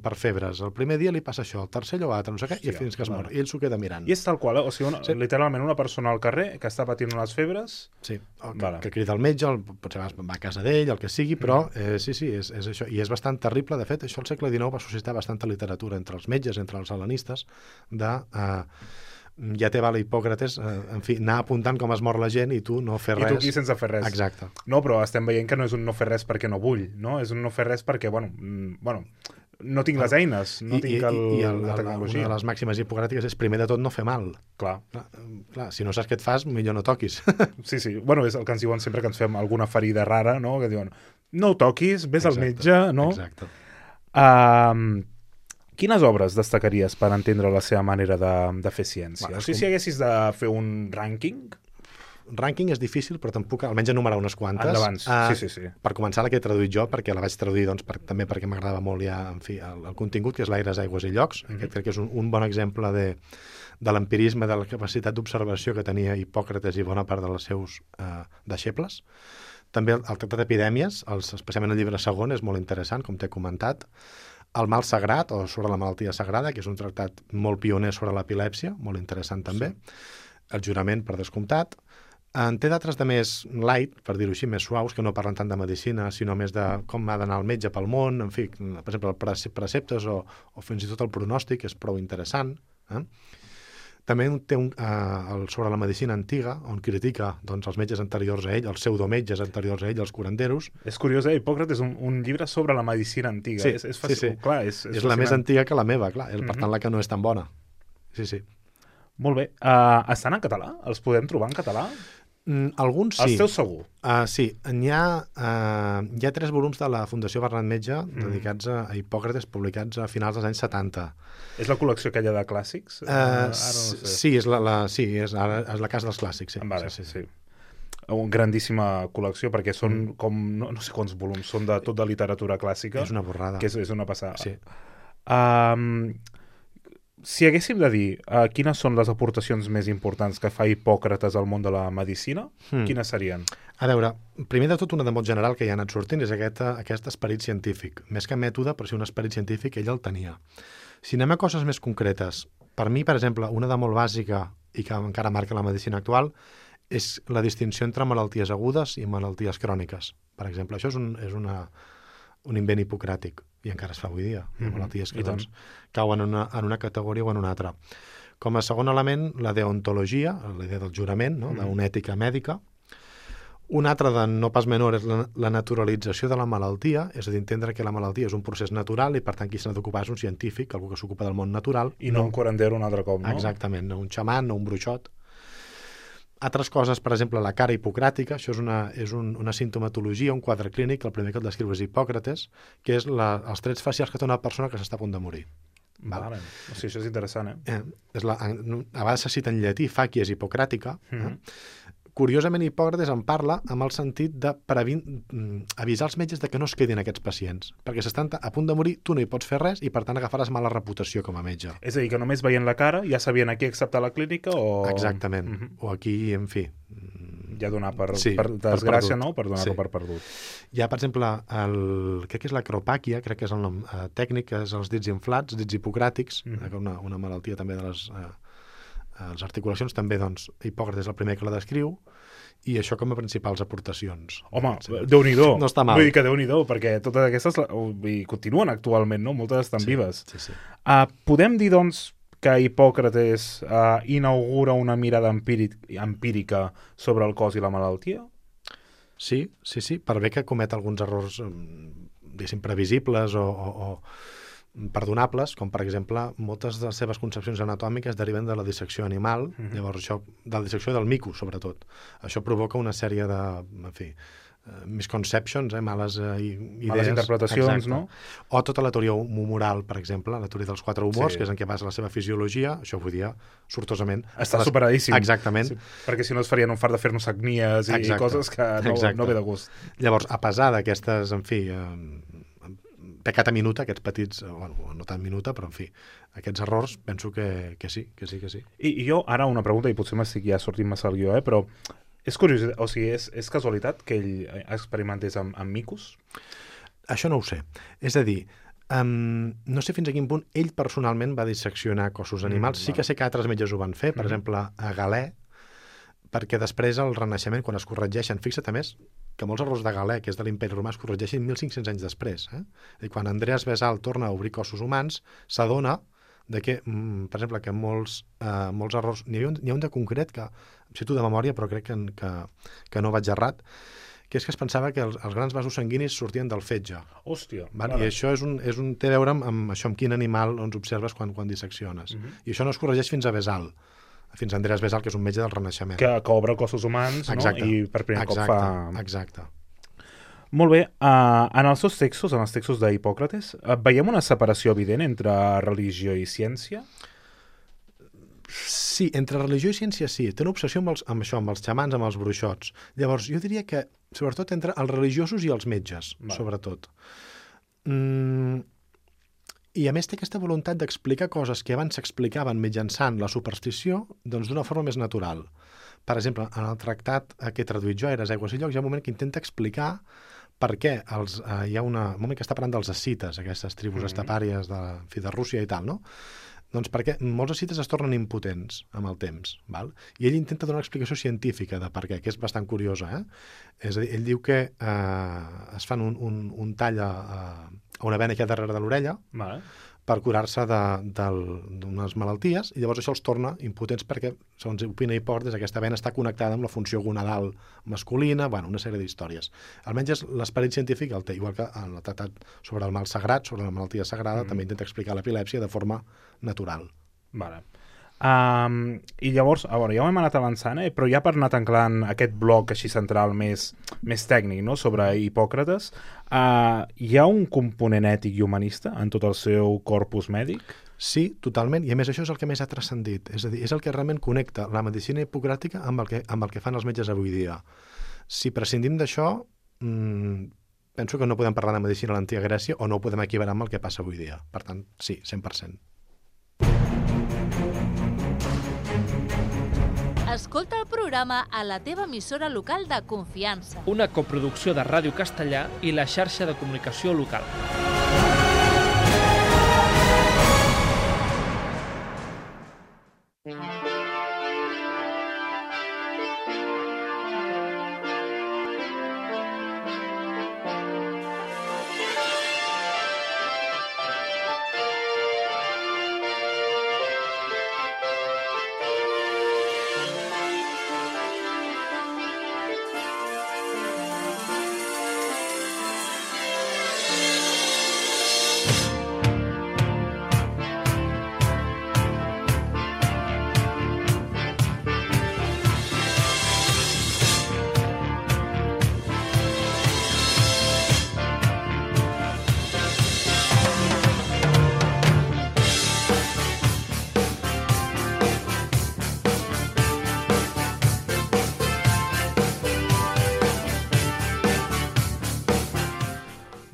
per febres, el primer dia li passa això, el tercer allò altre, no sé què, i fins que es mor, i ell s'ho queda mirant. I és tal qual, o sigui, literalment una persona al carrer que està patint unes febres... Sí, que crida el metge, potser va a casa d'ell, el que sigui, però sí, és això, i és bastant terrible. De fet, això al segle XIX va suscitar bastanta literatura entre els metges, entre els hel·lenistes, ja te val Hipòcrates, en fi, anar apuntant com es mor la gent i tu no fer res. I tu aquí sense fer res. Exacte. No, però estem veient que no és un no fer res perquè no vull, no? És un no fer res perquè, no tinc les eines, no tinc la tecnologia. Una de les màximes hipocràtiques és, primer de tot, no fer mal. Clar, si no saps què et fas, millor no toquis. Sí. Bueno, és el que ens diuen sempre que ens fem alguna ferida rara, no? Que diuen, no ho toquis, vés al metge, no? Exacte. Quines obres destacaries per entendre la seva manera de fer ciència? O sigui, si haguessis de fer un rànquing... Rànquing és difícil, però tampoc, almenys enumerar unes quantes. Endavant, sí. Per començar, la que he traduït jo, perquè la vaig traduir també perquè m'agradava molt ja, en fi, el contingut, que és l'Aires, Aigües i Llocs. Aquest crec que és un bon exemple de l'empirisme, de la capacitat d'observació que tenia Hipòcrates i bona part dels seus deixebles. També el tractat d'Epidèmies, especialment el llibre segon, és molt interessant, com t'he comentat. El mal sagrat, o sobre la malaltia sagrada, que és un tractat molt pioner sobre l'epilèpsia, molt interessant també. El jurament, per descomptat. En té d'altres de més light, per dir-ho així, més suaus, que no parlen tant de medicina, sinó més de com ha d'anar el metge pel món, en fi, per exemple, preceptes o fins i tot el pronòstic, és prou interessant. També té sobre la medicina antiga, on critica doncs, els metges anteriors a ell, els pseudometges anteriors a ell, els curanderos. És curiós, Hipòcrates és un llibre sobre la medicina antiga. Sí, és fàcil, sí. Clar, és la més antiga que la meva, clar. Per tant, la que no és tan bona. Sí, sí. Molt bé. Estan en català? Els podem trobar en català? Alguns sí. Els teus segur? Sí. Hi ha 3 volums de la Fundació Bernat Metge dedicats a Hipòcrates, publicats a finals dels anys 70. És la col·lecció aquella de clàssics? Ara no sé. Sí, és la casa dels clàssics. Sí. Vale, sí. Una grandíssima col·lecció, perquè són com, no sé quants volums, són de tot de literatura clàssica. És una borrada. Que és una passada. Sí. Si haguéssim de dir quines són les aportacions més importants que fa Hipòcrates al món de la medicina, quines serien? A veure, primer de tot, una de molt general que ja ha anat sortint és aquest esperit científic. Més que mètode, però sí un esperit científic, ell el tenia. Si anem a coses més concretes, per mi, per exemple, una de molt bàsica i que encara marca la medicina actual és la distinció entre malalties agudes i malalties cròniques. Per exemple, això és un invent hipocràtic i encara es fa avui dia. Hi ha malalties que doncs, cauen en una categoria o en una altra. Com a segon element, la deontologia, la idea del jurament, no? D'una ètica mèdica. Un altre de no pas menor és la naturalització de la malaltia, és a dir, entendre que la malaltia és un procés natural i per tant qui s'ha d'ocupar és un científic, algú que s'ocupa del món natural. I no un curandero un altre cop, no? Exactament, no un xaman, no un bruixot. Altres coses, per exemple, la cara hipocràtica, això és una simptomatologia, un quadre clínic, el primer que el descriu és Hipòcrates, que és els trets facials que té una persona que s'està a punt de morir. Vale. O sigui, això és interessant, a vegades se cita en llatí, facies hipocràtica. Curiosament, Hipòcrates en parla amb el sentit de avisar els metges de que no es quedin aquests pacients, perquè s'estan a punt de morir, tu no hi pots fer res i per tant agafaràs mala reputació com a metge. És a dir, que només veient la cara ja sabien a qui acceptar la clínica o... Exactament. O aquí, en fi... Ja donar per desgràcia, no? Per donar-lo per perdut. Hi ha, per exemple, crec que és l'acropàquia, crec que és el nom tècnic, que és els dits inflats, dits hipocràtics, una malaltia també de les articulacions, també, doncs, Hipòcrates és el primer que la descriu, i això com a principals aportacions. Home, Déu-n'hi-do. No està mal. Vull dir que Déu-n'hi-do, perquè totes aquestes continuen actualment, no? Moltes estan vives. Sí. Podem dir, doncs, que Hipòcrates inaugura una mirada empírica sobre el cos i la malaltia? Sí, per bé que comet alguns errors, diguéssim, previsibles o perdonables, com per exemple moltes de les seves concepcions anatòmiques deriven de la dissecció animal, llavors això, de la dissecció del mico, sobretot. Això provoca una sèrie de, en fi, misconceptions, males idees. Males interpretacions, exacte. No? O tota la teoria humoral, per exemple, la teoria dels 4 humors, que és en què basa la seva fisiologia, això vull dir, sortosament... Està superadíssim. Exactament. Sí, perquè si no es farien un fart de fer-nos sagnies i coses que no ve de gust. Llavors, a pesar d'aquestes, en fi... peccata minuta, aquests petits, bueno, no tan minuta, però en fi, aquests errors penso que sí. I jo, ara una pregunta, i potser m'estic ja sortint massa el guió, però és curiós, o sigui, és casualitat que ell experimentés amb micos? Això no ho sé. És a dir, no sé fins a quin punt ell personalment va disseccionar cossos animals. Sí que sé que altres metges ho van fer, per exemple, a Galè, perquè després al Renaixement, quan es corregeixen, fixa't a més que molts errors de Galè, que és de l'Imperi Romà, es corregeixen 1.500 anys després. I quan Andreas Vesal torna a obrir cossos humans, s'adona de que, per exemple, que molts errors... N'hi ha un de concret que em cito de memòria, però crec que no vaig errat, que és que es pensava que els grans vasos sanguinis sortien del fetge. Hòstia! I això té a veure amb això, amb quin animal ens observes quan dissecciones. I això no es corregeix fins a Vesal, fins a Andreas Vesal, que és un metge del Renaixement. Que obre cossos humans, exacte, no? I per primer cop fa... Exacte. Molt bé. En els seus textos, en els textos d'Hipòcrates, veiem una separació evident entre religió i ciència? Sí, entre religió i ciència sí. Té una obsessió amb això, amb els xamans, amb els bruixots. Llavors, jo diria que, sobretot, entre els religiosos i els metges, sobretot. I a més té aquesta voluntat d'explicar coses que abans s'explicaven mitjançant la superstició, doncs d'una forma més natural. Per exemple, en el tractat que he traduït jo, Aires, Aigües i Llocs, hi ha un moment que intenta explicar per què hi ha un moment que està parlant dels escites, aquestes tribus estepàries de Rússia i tal, no? Doncs perquè molts ascites es tornen impotents amb el temps, val? I ell intenta donar una explicació científica de per què, que és bastant curiosa. És a dir, ell diu que es fan un tall a una vena que hi ha darrere de l'orella, Vale. per curar-se d'unes malalties, i llavors això els torna impotents perquè, segons opina Hipòcrates, aquesta vena està connectada amb la funció gonadal masculina, bueno, una sèrie d'històries. Almenys l'esperit científic el té, igual que en el tractat sobre el mal sagrat, sobre la malaltia sagrada, també intenta explicar l'epilèpsia de forma natural. Vale. I llavors, a veure, ja ho hem anat avançant, però ja per anar tanclant aquest bloc així central més tècnic, no?, sobre Hipòcrates, hi ha un component ètic i humanista en tot el seu corpus mèdic? Sí, totalment, i a més això és el que més ha transcendit, és a dir, és el que realment connecta la medicina hipocràtica amb el que fan els metges avui dia. Si prescindim d'això, penso que no podem parlar de medicina a l'antiga Grècia o no ho podem equiparar amb el que passa avui dia. Per tant, sí, 100%. Escolta el programa a la teva emissora local de confiança. Una coproducció de Ràdio Castellà i la xarxa de comunicació local.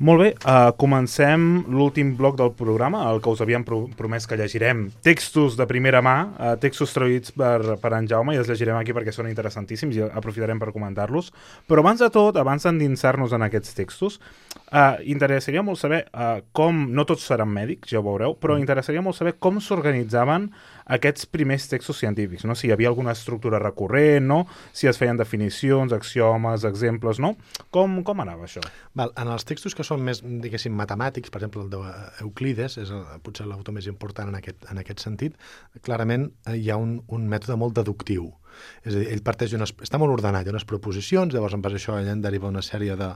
Molt bé, comencem l'últim bloc del programa, el que us havíem promès que llegirem textos de primera mà, textos traduïts per en Jaume, i els llegirem aquí perquè són interessantíssims i aprofitarem per comentar-los. Però abans de tot, abans d'endinsar-nos en aquests textos, interessaria molt saber com, no tots seran mèdics, ja ho veureu, però interessaria molt saber com s'organitzaven aquests primers textos científics, no? Si hi havia alguna estructura recurrent, no? Si es feien definicions, axiomes, exemples, no? Com anava això? Val, en els textos que són més, diguéssim, matemàtics, per exemple, el d'Euclides, és potser l'autor més important en aquest sentit, clarament hi ha un mètode molt deductiu. És a dir, ell parteix està molt ordenat, hi ha unes proposicions, llavors en base a això ell en deriva una sèrie de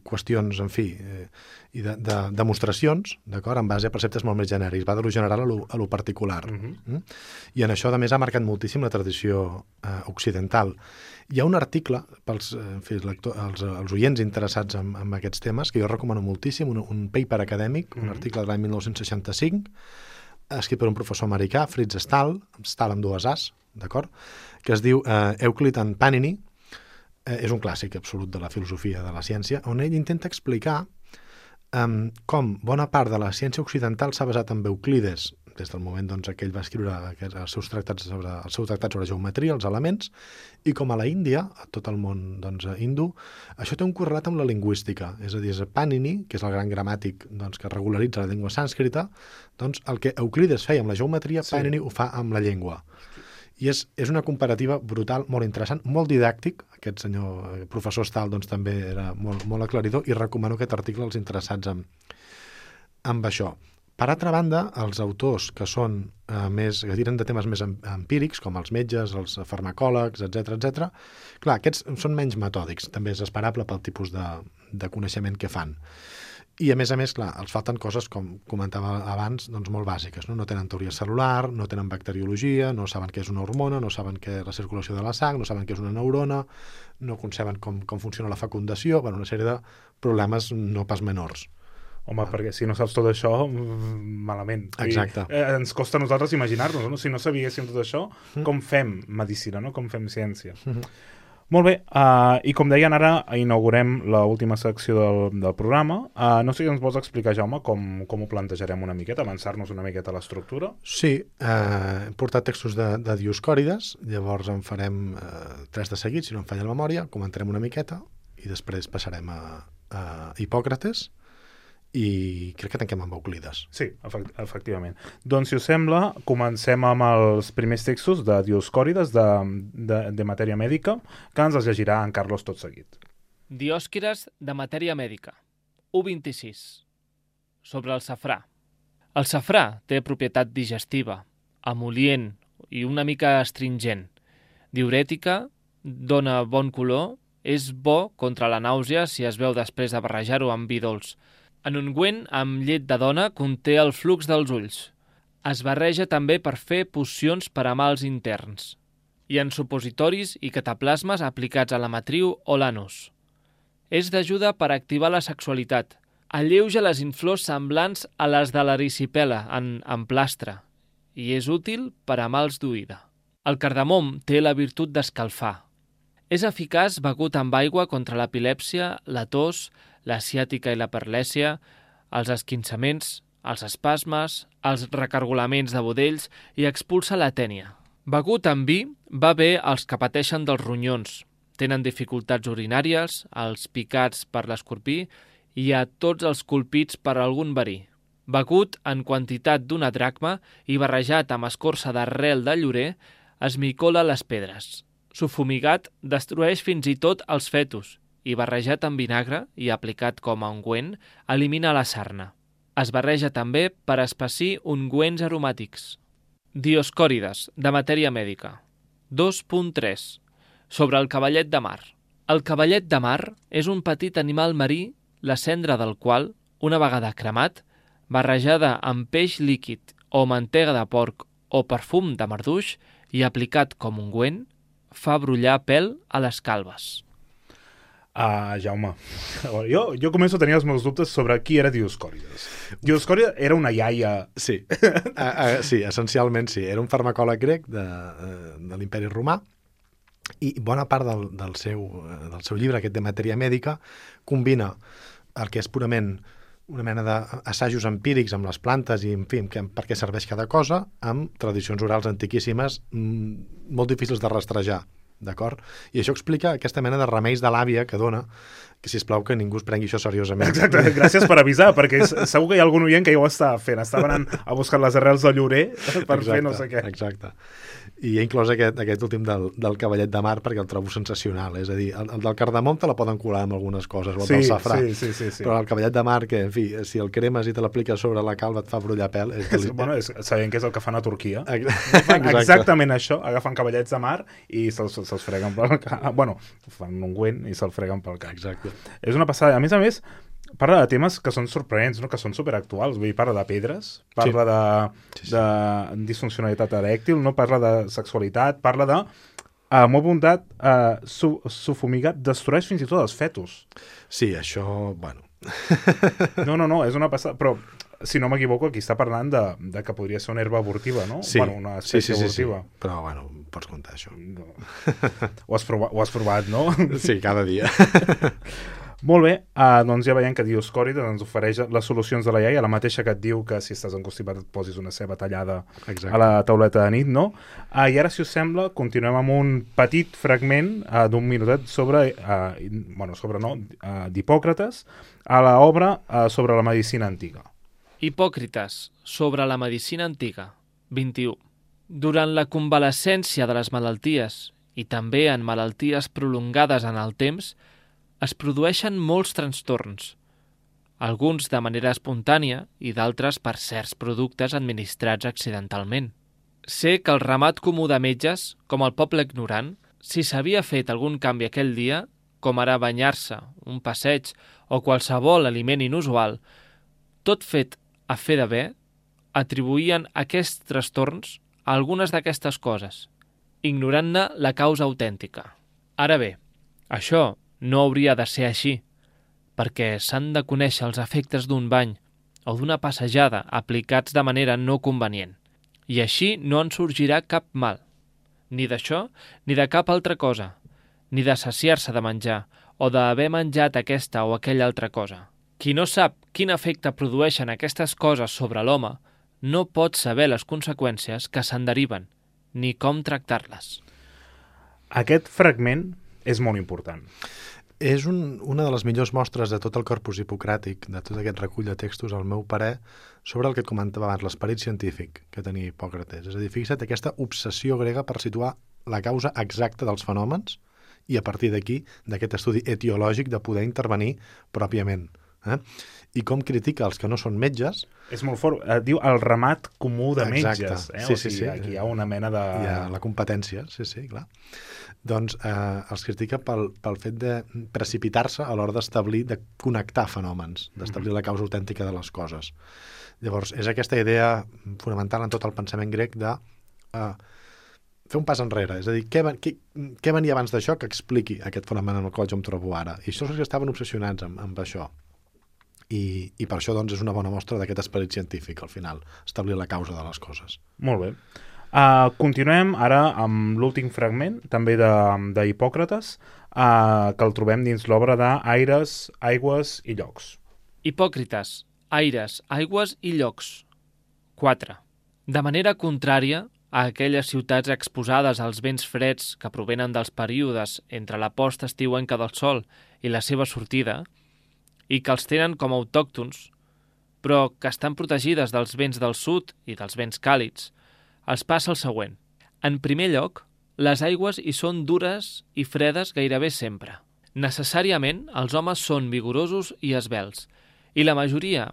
qüestions, en fi, i de demostracions, d'acord, en base a preceptes molt més genèrics, va de lo general a lo particular. I en això, a més, ha marcat moltíssim la tradició occidental. Hi ha un article, pels els oients interessats en aquests temes, que jo recomano moltíssim, un paper acadèmic, un article de l'any 1965, escrit per un professor americà, Fritz Stahl amb dues As, d'acord, que es diu Euclid and Panini. És un clàssic absolut de la filosofia de la ciència, on ell intenta explicar com bona part de la ciència occidental s'ha basat en Euclides, des del moment que ell va escriure el seu tractat sobre geometria, els elements, i com a la Índia, a tot el món hindú, això té un correlat amb la lingüística. És a dir, és Panini, que és el gran gramàtic que regularitza la llengua sànscrita, el que Euclides feia amb la geometria, Panini ho fa amb la llengua. I és una comparativa brutal, molt interessant, molt didàctic. Aquest senyor professor Stahl també era molt aclaridor, i recomano aquest article als interessats amb això. Per altra banda, els autors que tiren de temes més empírics, com els metges, els farmacòlegs, etc., clar, aquests són menys metòdics, també és esperable pel tipus de coneixement que fan. I, a més, clar, els falten coses, com comentava abans, molt bàsiques. No tenen teoria cel·lular, no tenen bacteriologia, no saben què és una hormona, no saben què és la circulació de la sang, no saben què és una neurona, no conceben com funciona la fecundació, una sèrie de problemes no pas menors. Home, perquè si no saps tot això, malament. Exacte. Ens costa a nosaltres imaginar-nos, no? Si no sabíéssim tot això, com fem medicina, no? Com fem ciència. Molt bé, i com deien, ara inaugurem l'última secció del programa. No sé si ens vols explicar, Jaume, com ho plantejarem una miqueta, avançar-nos una miqueta a l'estructura. Sí, hem portat textos de Dioscòrides, llavors en farem 3 de seguit, si no em falla la memòria, comentarem una miqueta, i després passarem a Hipòcrates, i crec que tanquem amb Euclides. Sí, efectivament. Doncs, si us sembla, comencem amb els primers textos de Dioscòrides, de Matèria Mèdica, que ens els llegirà en Carlos tot seguit. Dioscòrides de Matèria Mèdica, 1.26. Sobre el safrà. El safrà té propietat digestiva, emol·lient i una mica astringent, diürètica, dona bon color, és bo contra la nàusea si es beu després de barrejar-ho amb vi dolç. En ungüent amb llet de dona conté el flux dels ulls. Es barreja també per fer pocions per a mals interns. I en supositoris i cataplasmes aplicats a la matriu o l'anus. És d'ajuda per activar la sexualitat. Alleuja les inflors semblants a les de l'erisipela en plastre i és útil per a mals d'oïda. El cardamom té la virtut d'escalfar. És eficaç begut amb aigua contra l'epilèpsia, la tos, la ciàtica i la parlèsia, els esquinçaments, els espasmes, els recargolaments de budells i expulsa la tènia. Begut amb vi va bé als que pateixen dels ronyons, tenen dificultats urinàries, els picats per l'escorpí i a tots els colpits per algun verí. Begut en quantitat d'una dracma i barrejat amb escorça d'arrel de llorer, es micola les pedres. Sufumigat destrueix fins i tot els fetus i barrejat amb vinagre i aplicat com a ungüent elimina la sarna. Es barreja també per espessir ungüents aromàtics. Dioscòrides, de Matèria Mèdica. 2.3. Sobre el cavallet de mar. El cavallet de mar és un petit animal marí, la cendra del qual, una vegada cremat, barrejada amb peix líquid o mantega de porc o perfum de marduix i aplicat com ungüent, fa brollar pèl a les calbes. Jaume, jo començo a tenir els meus dubtes sobre qui era Dioscòrides. Dioscòrides era una iaia... Sí, sí, essencialment sí. Era un farmacòleg grec de l'Imperi Romà i bona part del seu llibre, aquest de Matèria Mèdica, combina el que és purament una mena d'assajos empírics amb les plantes i, en fi, per què serveix cada cosa, amb tradicions orals antiquíssimes molt difícils de rastrejar, d'acord? I això explica aquesta mena de remeis de l'àvia que dona, que sisplau que ningú es prengui això seriosament. Exacte, gràcies per avisar, perquè segur que hi ha algun oient que ja ho estava fent, estava anant a buscar les arrels de llorer per fer no sé què. Exacte. I he inclòs aquest últim del cavallet de mar perquè el trobo sensacional, és a dir, el del cardamom te la poden colar amb algunes coses, o el del safrà, sí. però el cavallet de mar, que, en fi, si el cremes i te l'apliques sobre la calva et fa brollar pèl... Sabent que és el que fan a Turquia. Exacte. Exactament això, agafen cavallets de mar i se'ls freguen pel cap. Bueno, fan un ungüent i se'l freguen pel cap. Exacte. És una passada. A més, parla de temes que són sorprenents, no? Que són superactuals. Vull dir, parla de pedres, parla de disfuncionalitat erèctil, no parla de sexualitat, parla de molt bondat, sufumigat, destrueix fins i tot els fetus. Sí, això, bueno... No, és una passada, però si no m'equivoco, aquí està parlant de que podria ser una herba abortiva, no? Sí, bueno, una espècie abortiva. Sí. Però, bueno, pots contar això. No. Ho has provat, no? Sí, cada dia. Molt bé, doncs ja veiem que Dioscòrides ens ofereix les solucions de la iaia, la mateixa que et diu que si estàs encostipat et posis una ceba tallada a la tauleta de nit, no? I ara, si us sembla, continuem amb un petit fragment d'un minutet sobre d'Hipòcrates a l'obra sobre la medicina antiga. Hipòcrites, sobre la medicina antiga, 21. Durant la convalescència de les malalties i també en malalties prolongades en el temps, es produeixen molts trastorns, alguns de manera espontània i d'altres per certs productes administrats accidentalment. Sé que el ramat comú de metges, com el poble ignorant, si s'havia fet algun canvi aquell dia, com ara banyar-se, un passeig o qualsevol aliment inusual, tot fet a fer de bé, atribuïen aquests trastorns a algunes d'aquestes coses, ignorant-ne la causa autèntica. Ara bé, això no hauria de ser així, perquè s'han de conèixer els efectes d'un bany o d'una passejada aplicats de manera no convenient, i així no en sorgirà cap mal, ni d'això ni de cap altra cosa, ni de saciar-se de menjar o d'haver menjat aquesta o aquella altra cosa. Qui no sap quin efecte produeixen aquestes coses sobre l'home no pot saber les conseqüències que se'n deriven, ni com tractar-les. Aquest fragment és molt important. És una de les millors mostres de tot el corpus hipocràtic, de tot aquest recull de textos, al meu parer, sobre el que et comentava abans, l'esperit científic que tenia Hipòcrates. És a dir, fixa't aquesta obsessió grega per situar la causa exacta dels fenòmens i a partir d'aquí, d'aquest estudi etiològic, de poder intervenir pròpiament. I com critica els que no són metges. És molt fort. Diu el ramat comú de metges. Sí, sí. Aquí hi ha una mena de... Hi ha la competència, sí, clar. Doncs els critica pel fet de precipitar-se a l'hora d'establir, de connectar fenòmens, d'establir la causa autèntica de les coses. Llavors, és aquesta idea fonamental en tot el pensament grec de fer un pas enrere, és a dir, què venia abans d'això que expliqui aquest fenomen en el qual jo em trobo ara? I això és els que estaven obsessionats amb això. I per això doncs, és una bona mostra d'aquest esperit científic, al final, establir la causa de les coses. Molt bé. Continuem ara amb l'últim fragment, també d'Hipòcrates, que el trobem dins l'obra d'Aires, Aigües i Llocs. Hipòcrites, aires, aigües i llocs. 4. De manera contrària a aquelles ciutats exposades als vents freds que provenen dels períodes entre la posta estiuenca del sol i la seva sortida, i que els tenen com autòctons, però que estan protegides dels vents del sud i dels vents càlids, els passa el següent. En primer lloc, les aigües hi són dures i fredes gairebé sempre. Necessàriament, els homes són vigorosos i esvelts, i la majoria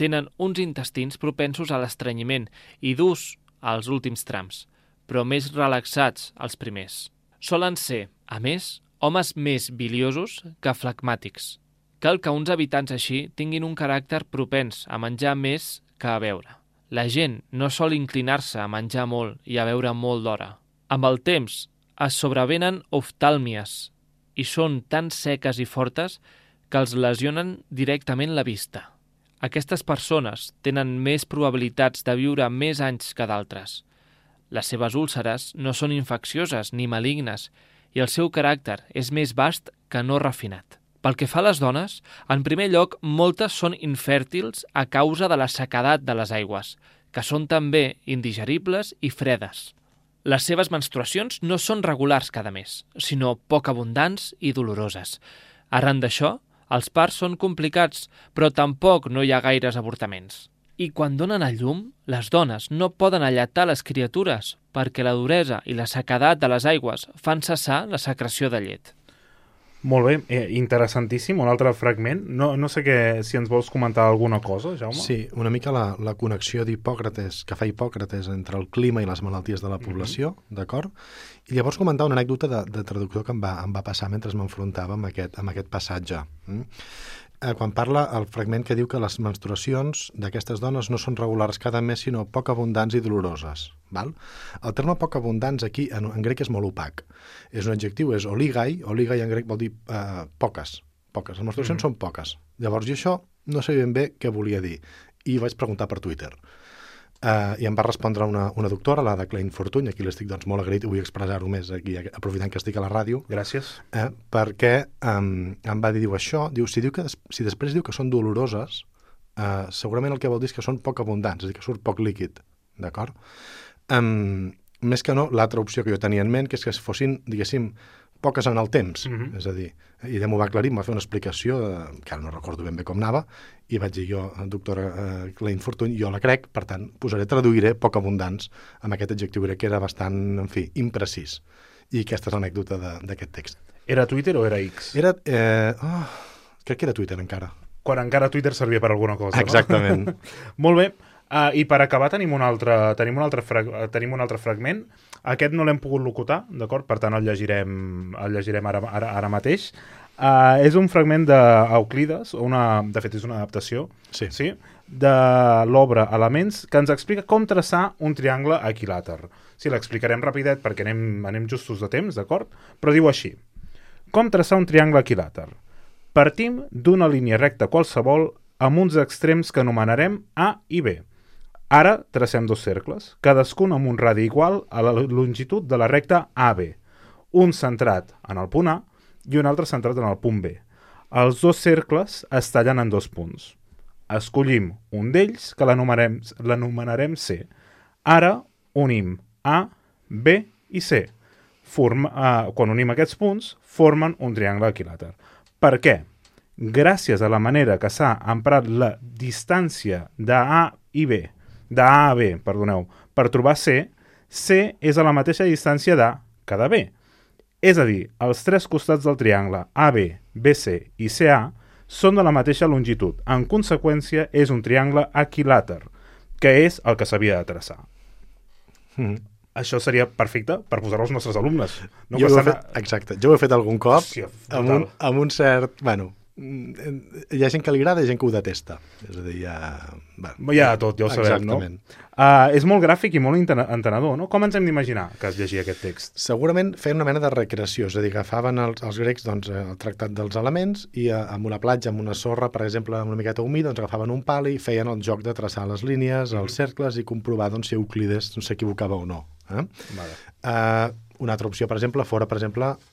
tenen uns intestins propensos a l'estrenyiment i durs als últims trams, però més relaxats als primers. Solen ser, a més, homes més biliosos que flegmàtics. Cal que uns habitants així tinguin un caràcter propens a menjar més que a beure. La gent no sol inclinar-se a menjar molt i a beure molt d'hora. Amb el temps es sobrevenen oftàlmies i són tan seques i fortes que els lesionen directament la vista. Aquestes persones tenen més probabilitats de viure més anys que d'altres. Les seves úlceres no són infeccioses ni malignes i el seu caràcter és més vast que no refinat. Pel que fa a les dones, en primer lloc, moltes són infèrtils a causa de la sequedat de les aigües, que són també indigeribles i fredes. Les seves menstruacions no són regulars cada mes, sinó poc abundants i doloroses. Arran d'això, els parts són complicats, però tampoc no hi ha gaires avortaments. I quan donen a llum, les dones no poden alletar les criatures perquè la duresa i la sequedat de les aigües fan cessar la secreció de llet. Molt bé, interessantíssim. Un altre fragment. No sé si ens vols comentar alguna cosa, Jaume? Sí, una mica la connexió d'Hipòcrates, que fa Hipòcrates entre el clima i les malalties de la població, d'acord? I llavors comentar una anècdota de traductor que em va passar mentre m'enfrontava amb aquest passatge. Quan parla el fragment que diu que les menstruacions d'aquestes dones no són regulars cada mes, sinó poc abundants i doloroses. Val? El terme poc abundants aquí en grec és molt opac. És un adjectiu, és oligai en grec vol dir poques. Les menstruacions són poques. Llavors jo això no sabia ben bé què volia dir i vaig preguntar per Twitter. I em va respondre una doctora, la de Klein Fortuny, aquí l'estic doncs, molt agraït i vull expressar-ho més aquí, aprofitant que estic a la ràdio. Gràcies. Perquè em va dir això, si després diu que són doloroses, segurament el que vol dir és que són poc abundants, és a dir, que surt poc líquid, d'acord? Més que no, l'altra opció que jo tenia en ment, que és que fossin, diguéssim, poques en el temps, és a dir, i m'ho va aclarir, em va fer una explicació, que ara no recordo ben bé com anava, i vaig dir jo, doctora Klein Fortuny, jo la crec, per tant, traduiré poc abundants amb aquest adjectiu grec que era bastant, en fi, imprecís. I aquesta és l'anècdota d'aquest text. Era Twitter o era X? Crec que era Twitter encara. Quan encara Twitter servia per alguna cosa, exactament. No? Molt bé. I per acabar tenim un altre fragment. Aquest no l'hem pogut locutar, d'acord? Per tant el llegirem ara mateix. És un fragment d'Euclides, de fet és una adaptació, sí? De l'obra Elements, que ens explica com traçar un triangle equilàter. Sí, l'explicarem rapidet perquè anem justos de temps, d'acord? Però diu així: com traçar un triangle equilàter? Partim d'una línia recta qualsevol amb uns extrems que anomenarem A i B. Ara tracem dos cercles, cadascun amb un radi igual a la longitud de la recta AB, un centrat en el punt A i un altre centrat en el punt B. Els dos cercles es tallen en dos punts. Escollim un d'ells que l'anomenarem C. Ara unim A, B i C. Quan unim aquests punts, formen un triangle equilàter. Per què? Gràcies a la manera que s'ha emprat la distància d'A a B, per trobar C, C és a la mateixa distància d'A que de B. És a dir, els tres costats del triangle AB, BC i CA són de la mateixa longitud. En conseqüència, és un triangle equilàter, que és el que s'havia de traçar. Això seria perfecte per posar als nostres alumnes. No Exacte. Jo ho he fet algun cop. Hòstia, amb un cert... Bueno, hi ha gent que li agrada i gent que ho detesta. És a dir, hi ha tot, ja ho sabem, exactament. No? És molt gràfic i molt entenedor, no? Com ens hem d'imaginar que es llegia aquest text? Segurament feien una mena de recreació, és a dir, agafaven els grecs doncs, el tractat dels elements i amb una platja, amb una sorra, per exemple, amb una miqueta humida, doncs agafaven un pal i feien el joc de traçar les línies, els cercles i comprovar doncs, si Euclides s'equivocava o no. Vale. Una altra opció, per exemple, fora,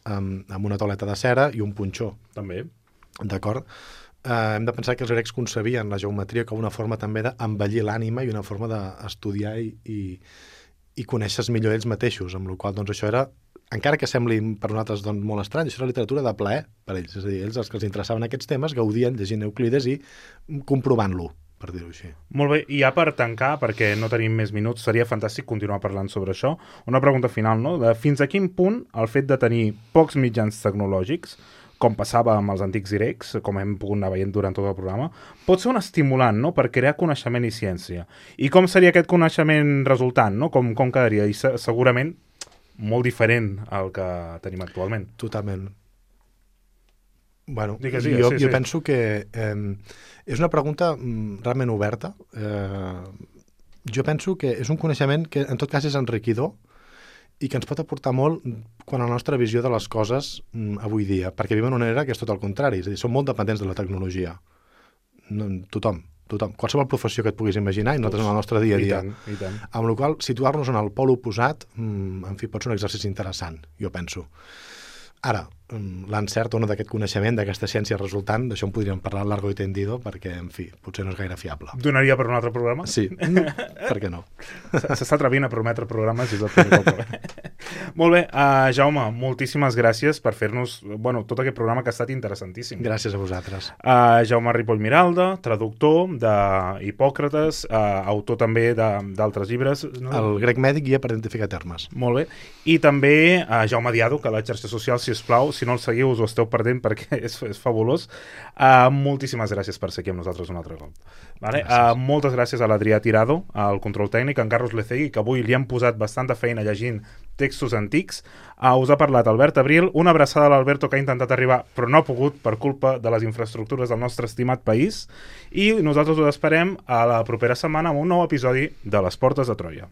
amb una tauleta de cera i un punxó. També. D'acord? Hem de pensar que els grecs concebien la geometria com una forma també d'embellir l'ànima i una forma d'estudiar i conèixer millor ells mateixos, amb la qual doncs, això era, encara que sembli per nosaltres doncs, molt estrany, això era literatura de plaer per ells. És a dir, ells, els que els interessaven aquests temes, gaudien llegint Euclides i comprovant-lo, per dir-ho així. Molt bé, i ja per tancar, perquè no tenim més minuts, seria fantàstic continuar parlant sobre això. Una pregunta final, no? Fins a quin punt el fet de tenir pocs mitjans tecnològics, com passava amb els antics grecs, com hem pogut anar veient durant tot el programa, pot ser un estimulant, no?, per crear coneixement i ciència. I com seria aquest coneixement resultant, no? Com quedaria? I segurament molt diferent al que tenim actualment. Totalment. Bueno, sí, jo penso que és una pregunta realment oberta. Jo penso que és un coneixement que en tot cas és enriquidor i que ens pot aportar molt quan a la nostra visió de les coses avui dia, perquè vivim en una era que és tot el contrari, és a dir, som molt dependents de la tecnologia. Tothom. Qualsevol professió que et puguis imaginar, i nosaltres en el nostre dia a dia. I tant. Amb la qual cosa, situar-nos en el pol oposat, en fi, pot ser un exercici interessant, jo penso. Ara, l'encert o no d'aquest coneixement, d'aquesta ciència resultant, d'això en podríem parlar largo i tendido, perquè, en fi, potser no és gaire fiable. Donaria per un altre programa? Sí, per què no? S'està atrevint a prometre programes i és el primer cop. Molt bé, Jaume, moltíssimes gràcies per fer-nos tot aquest programa que ha estat interessantíssim. Gràcies a vosaltres. Jaume Ripoll Miralda, traductor d'Hipòcrates, autor també d'altres llibres. No? El grec mèdic, guia per identificar termes. Molt bé. I també Jaume Diado, que a les xarxes socials, sisplau, si no el seguiu us ho esteu perdent perquè és fabulós. Moltíssimes gràcies per ser aquí amb nosaltres un altre cop. Vale? Moltes gràcies a l'Adrià Tirado, al control tècnic, a en Carlos Lecegui, que avui li han posat bastanta feina llegint textos antics. Us ha parlat Albert Abril, una abraçada a l'Alberto que ha intentat arribar però no ha pogut per culpa de les infraestructures del nostre estimat país, i nosaltres us esperem a la propera setmana amb un nou episodi de Les Portes de Troia.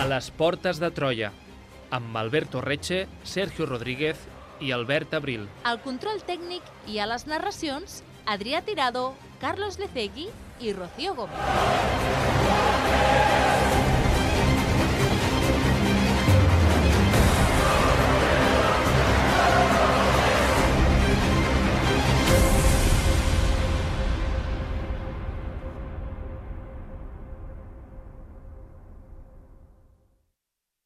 A les Portes de Troia, amb Alberto Reche, Sergio Rodríguez i Albert Abril. Al control tècnic i a les narracions, Adrià Tirado, Carlos Lecegui i Rocío Gómez.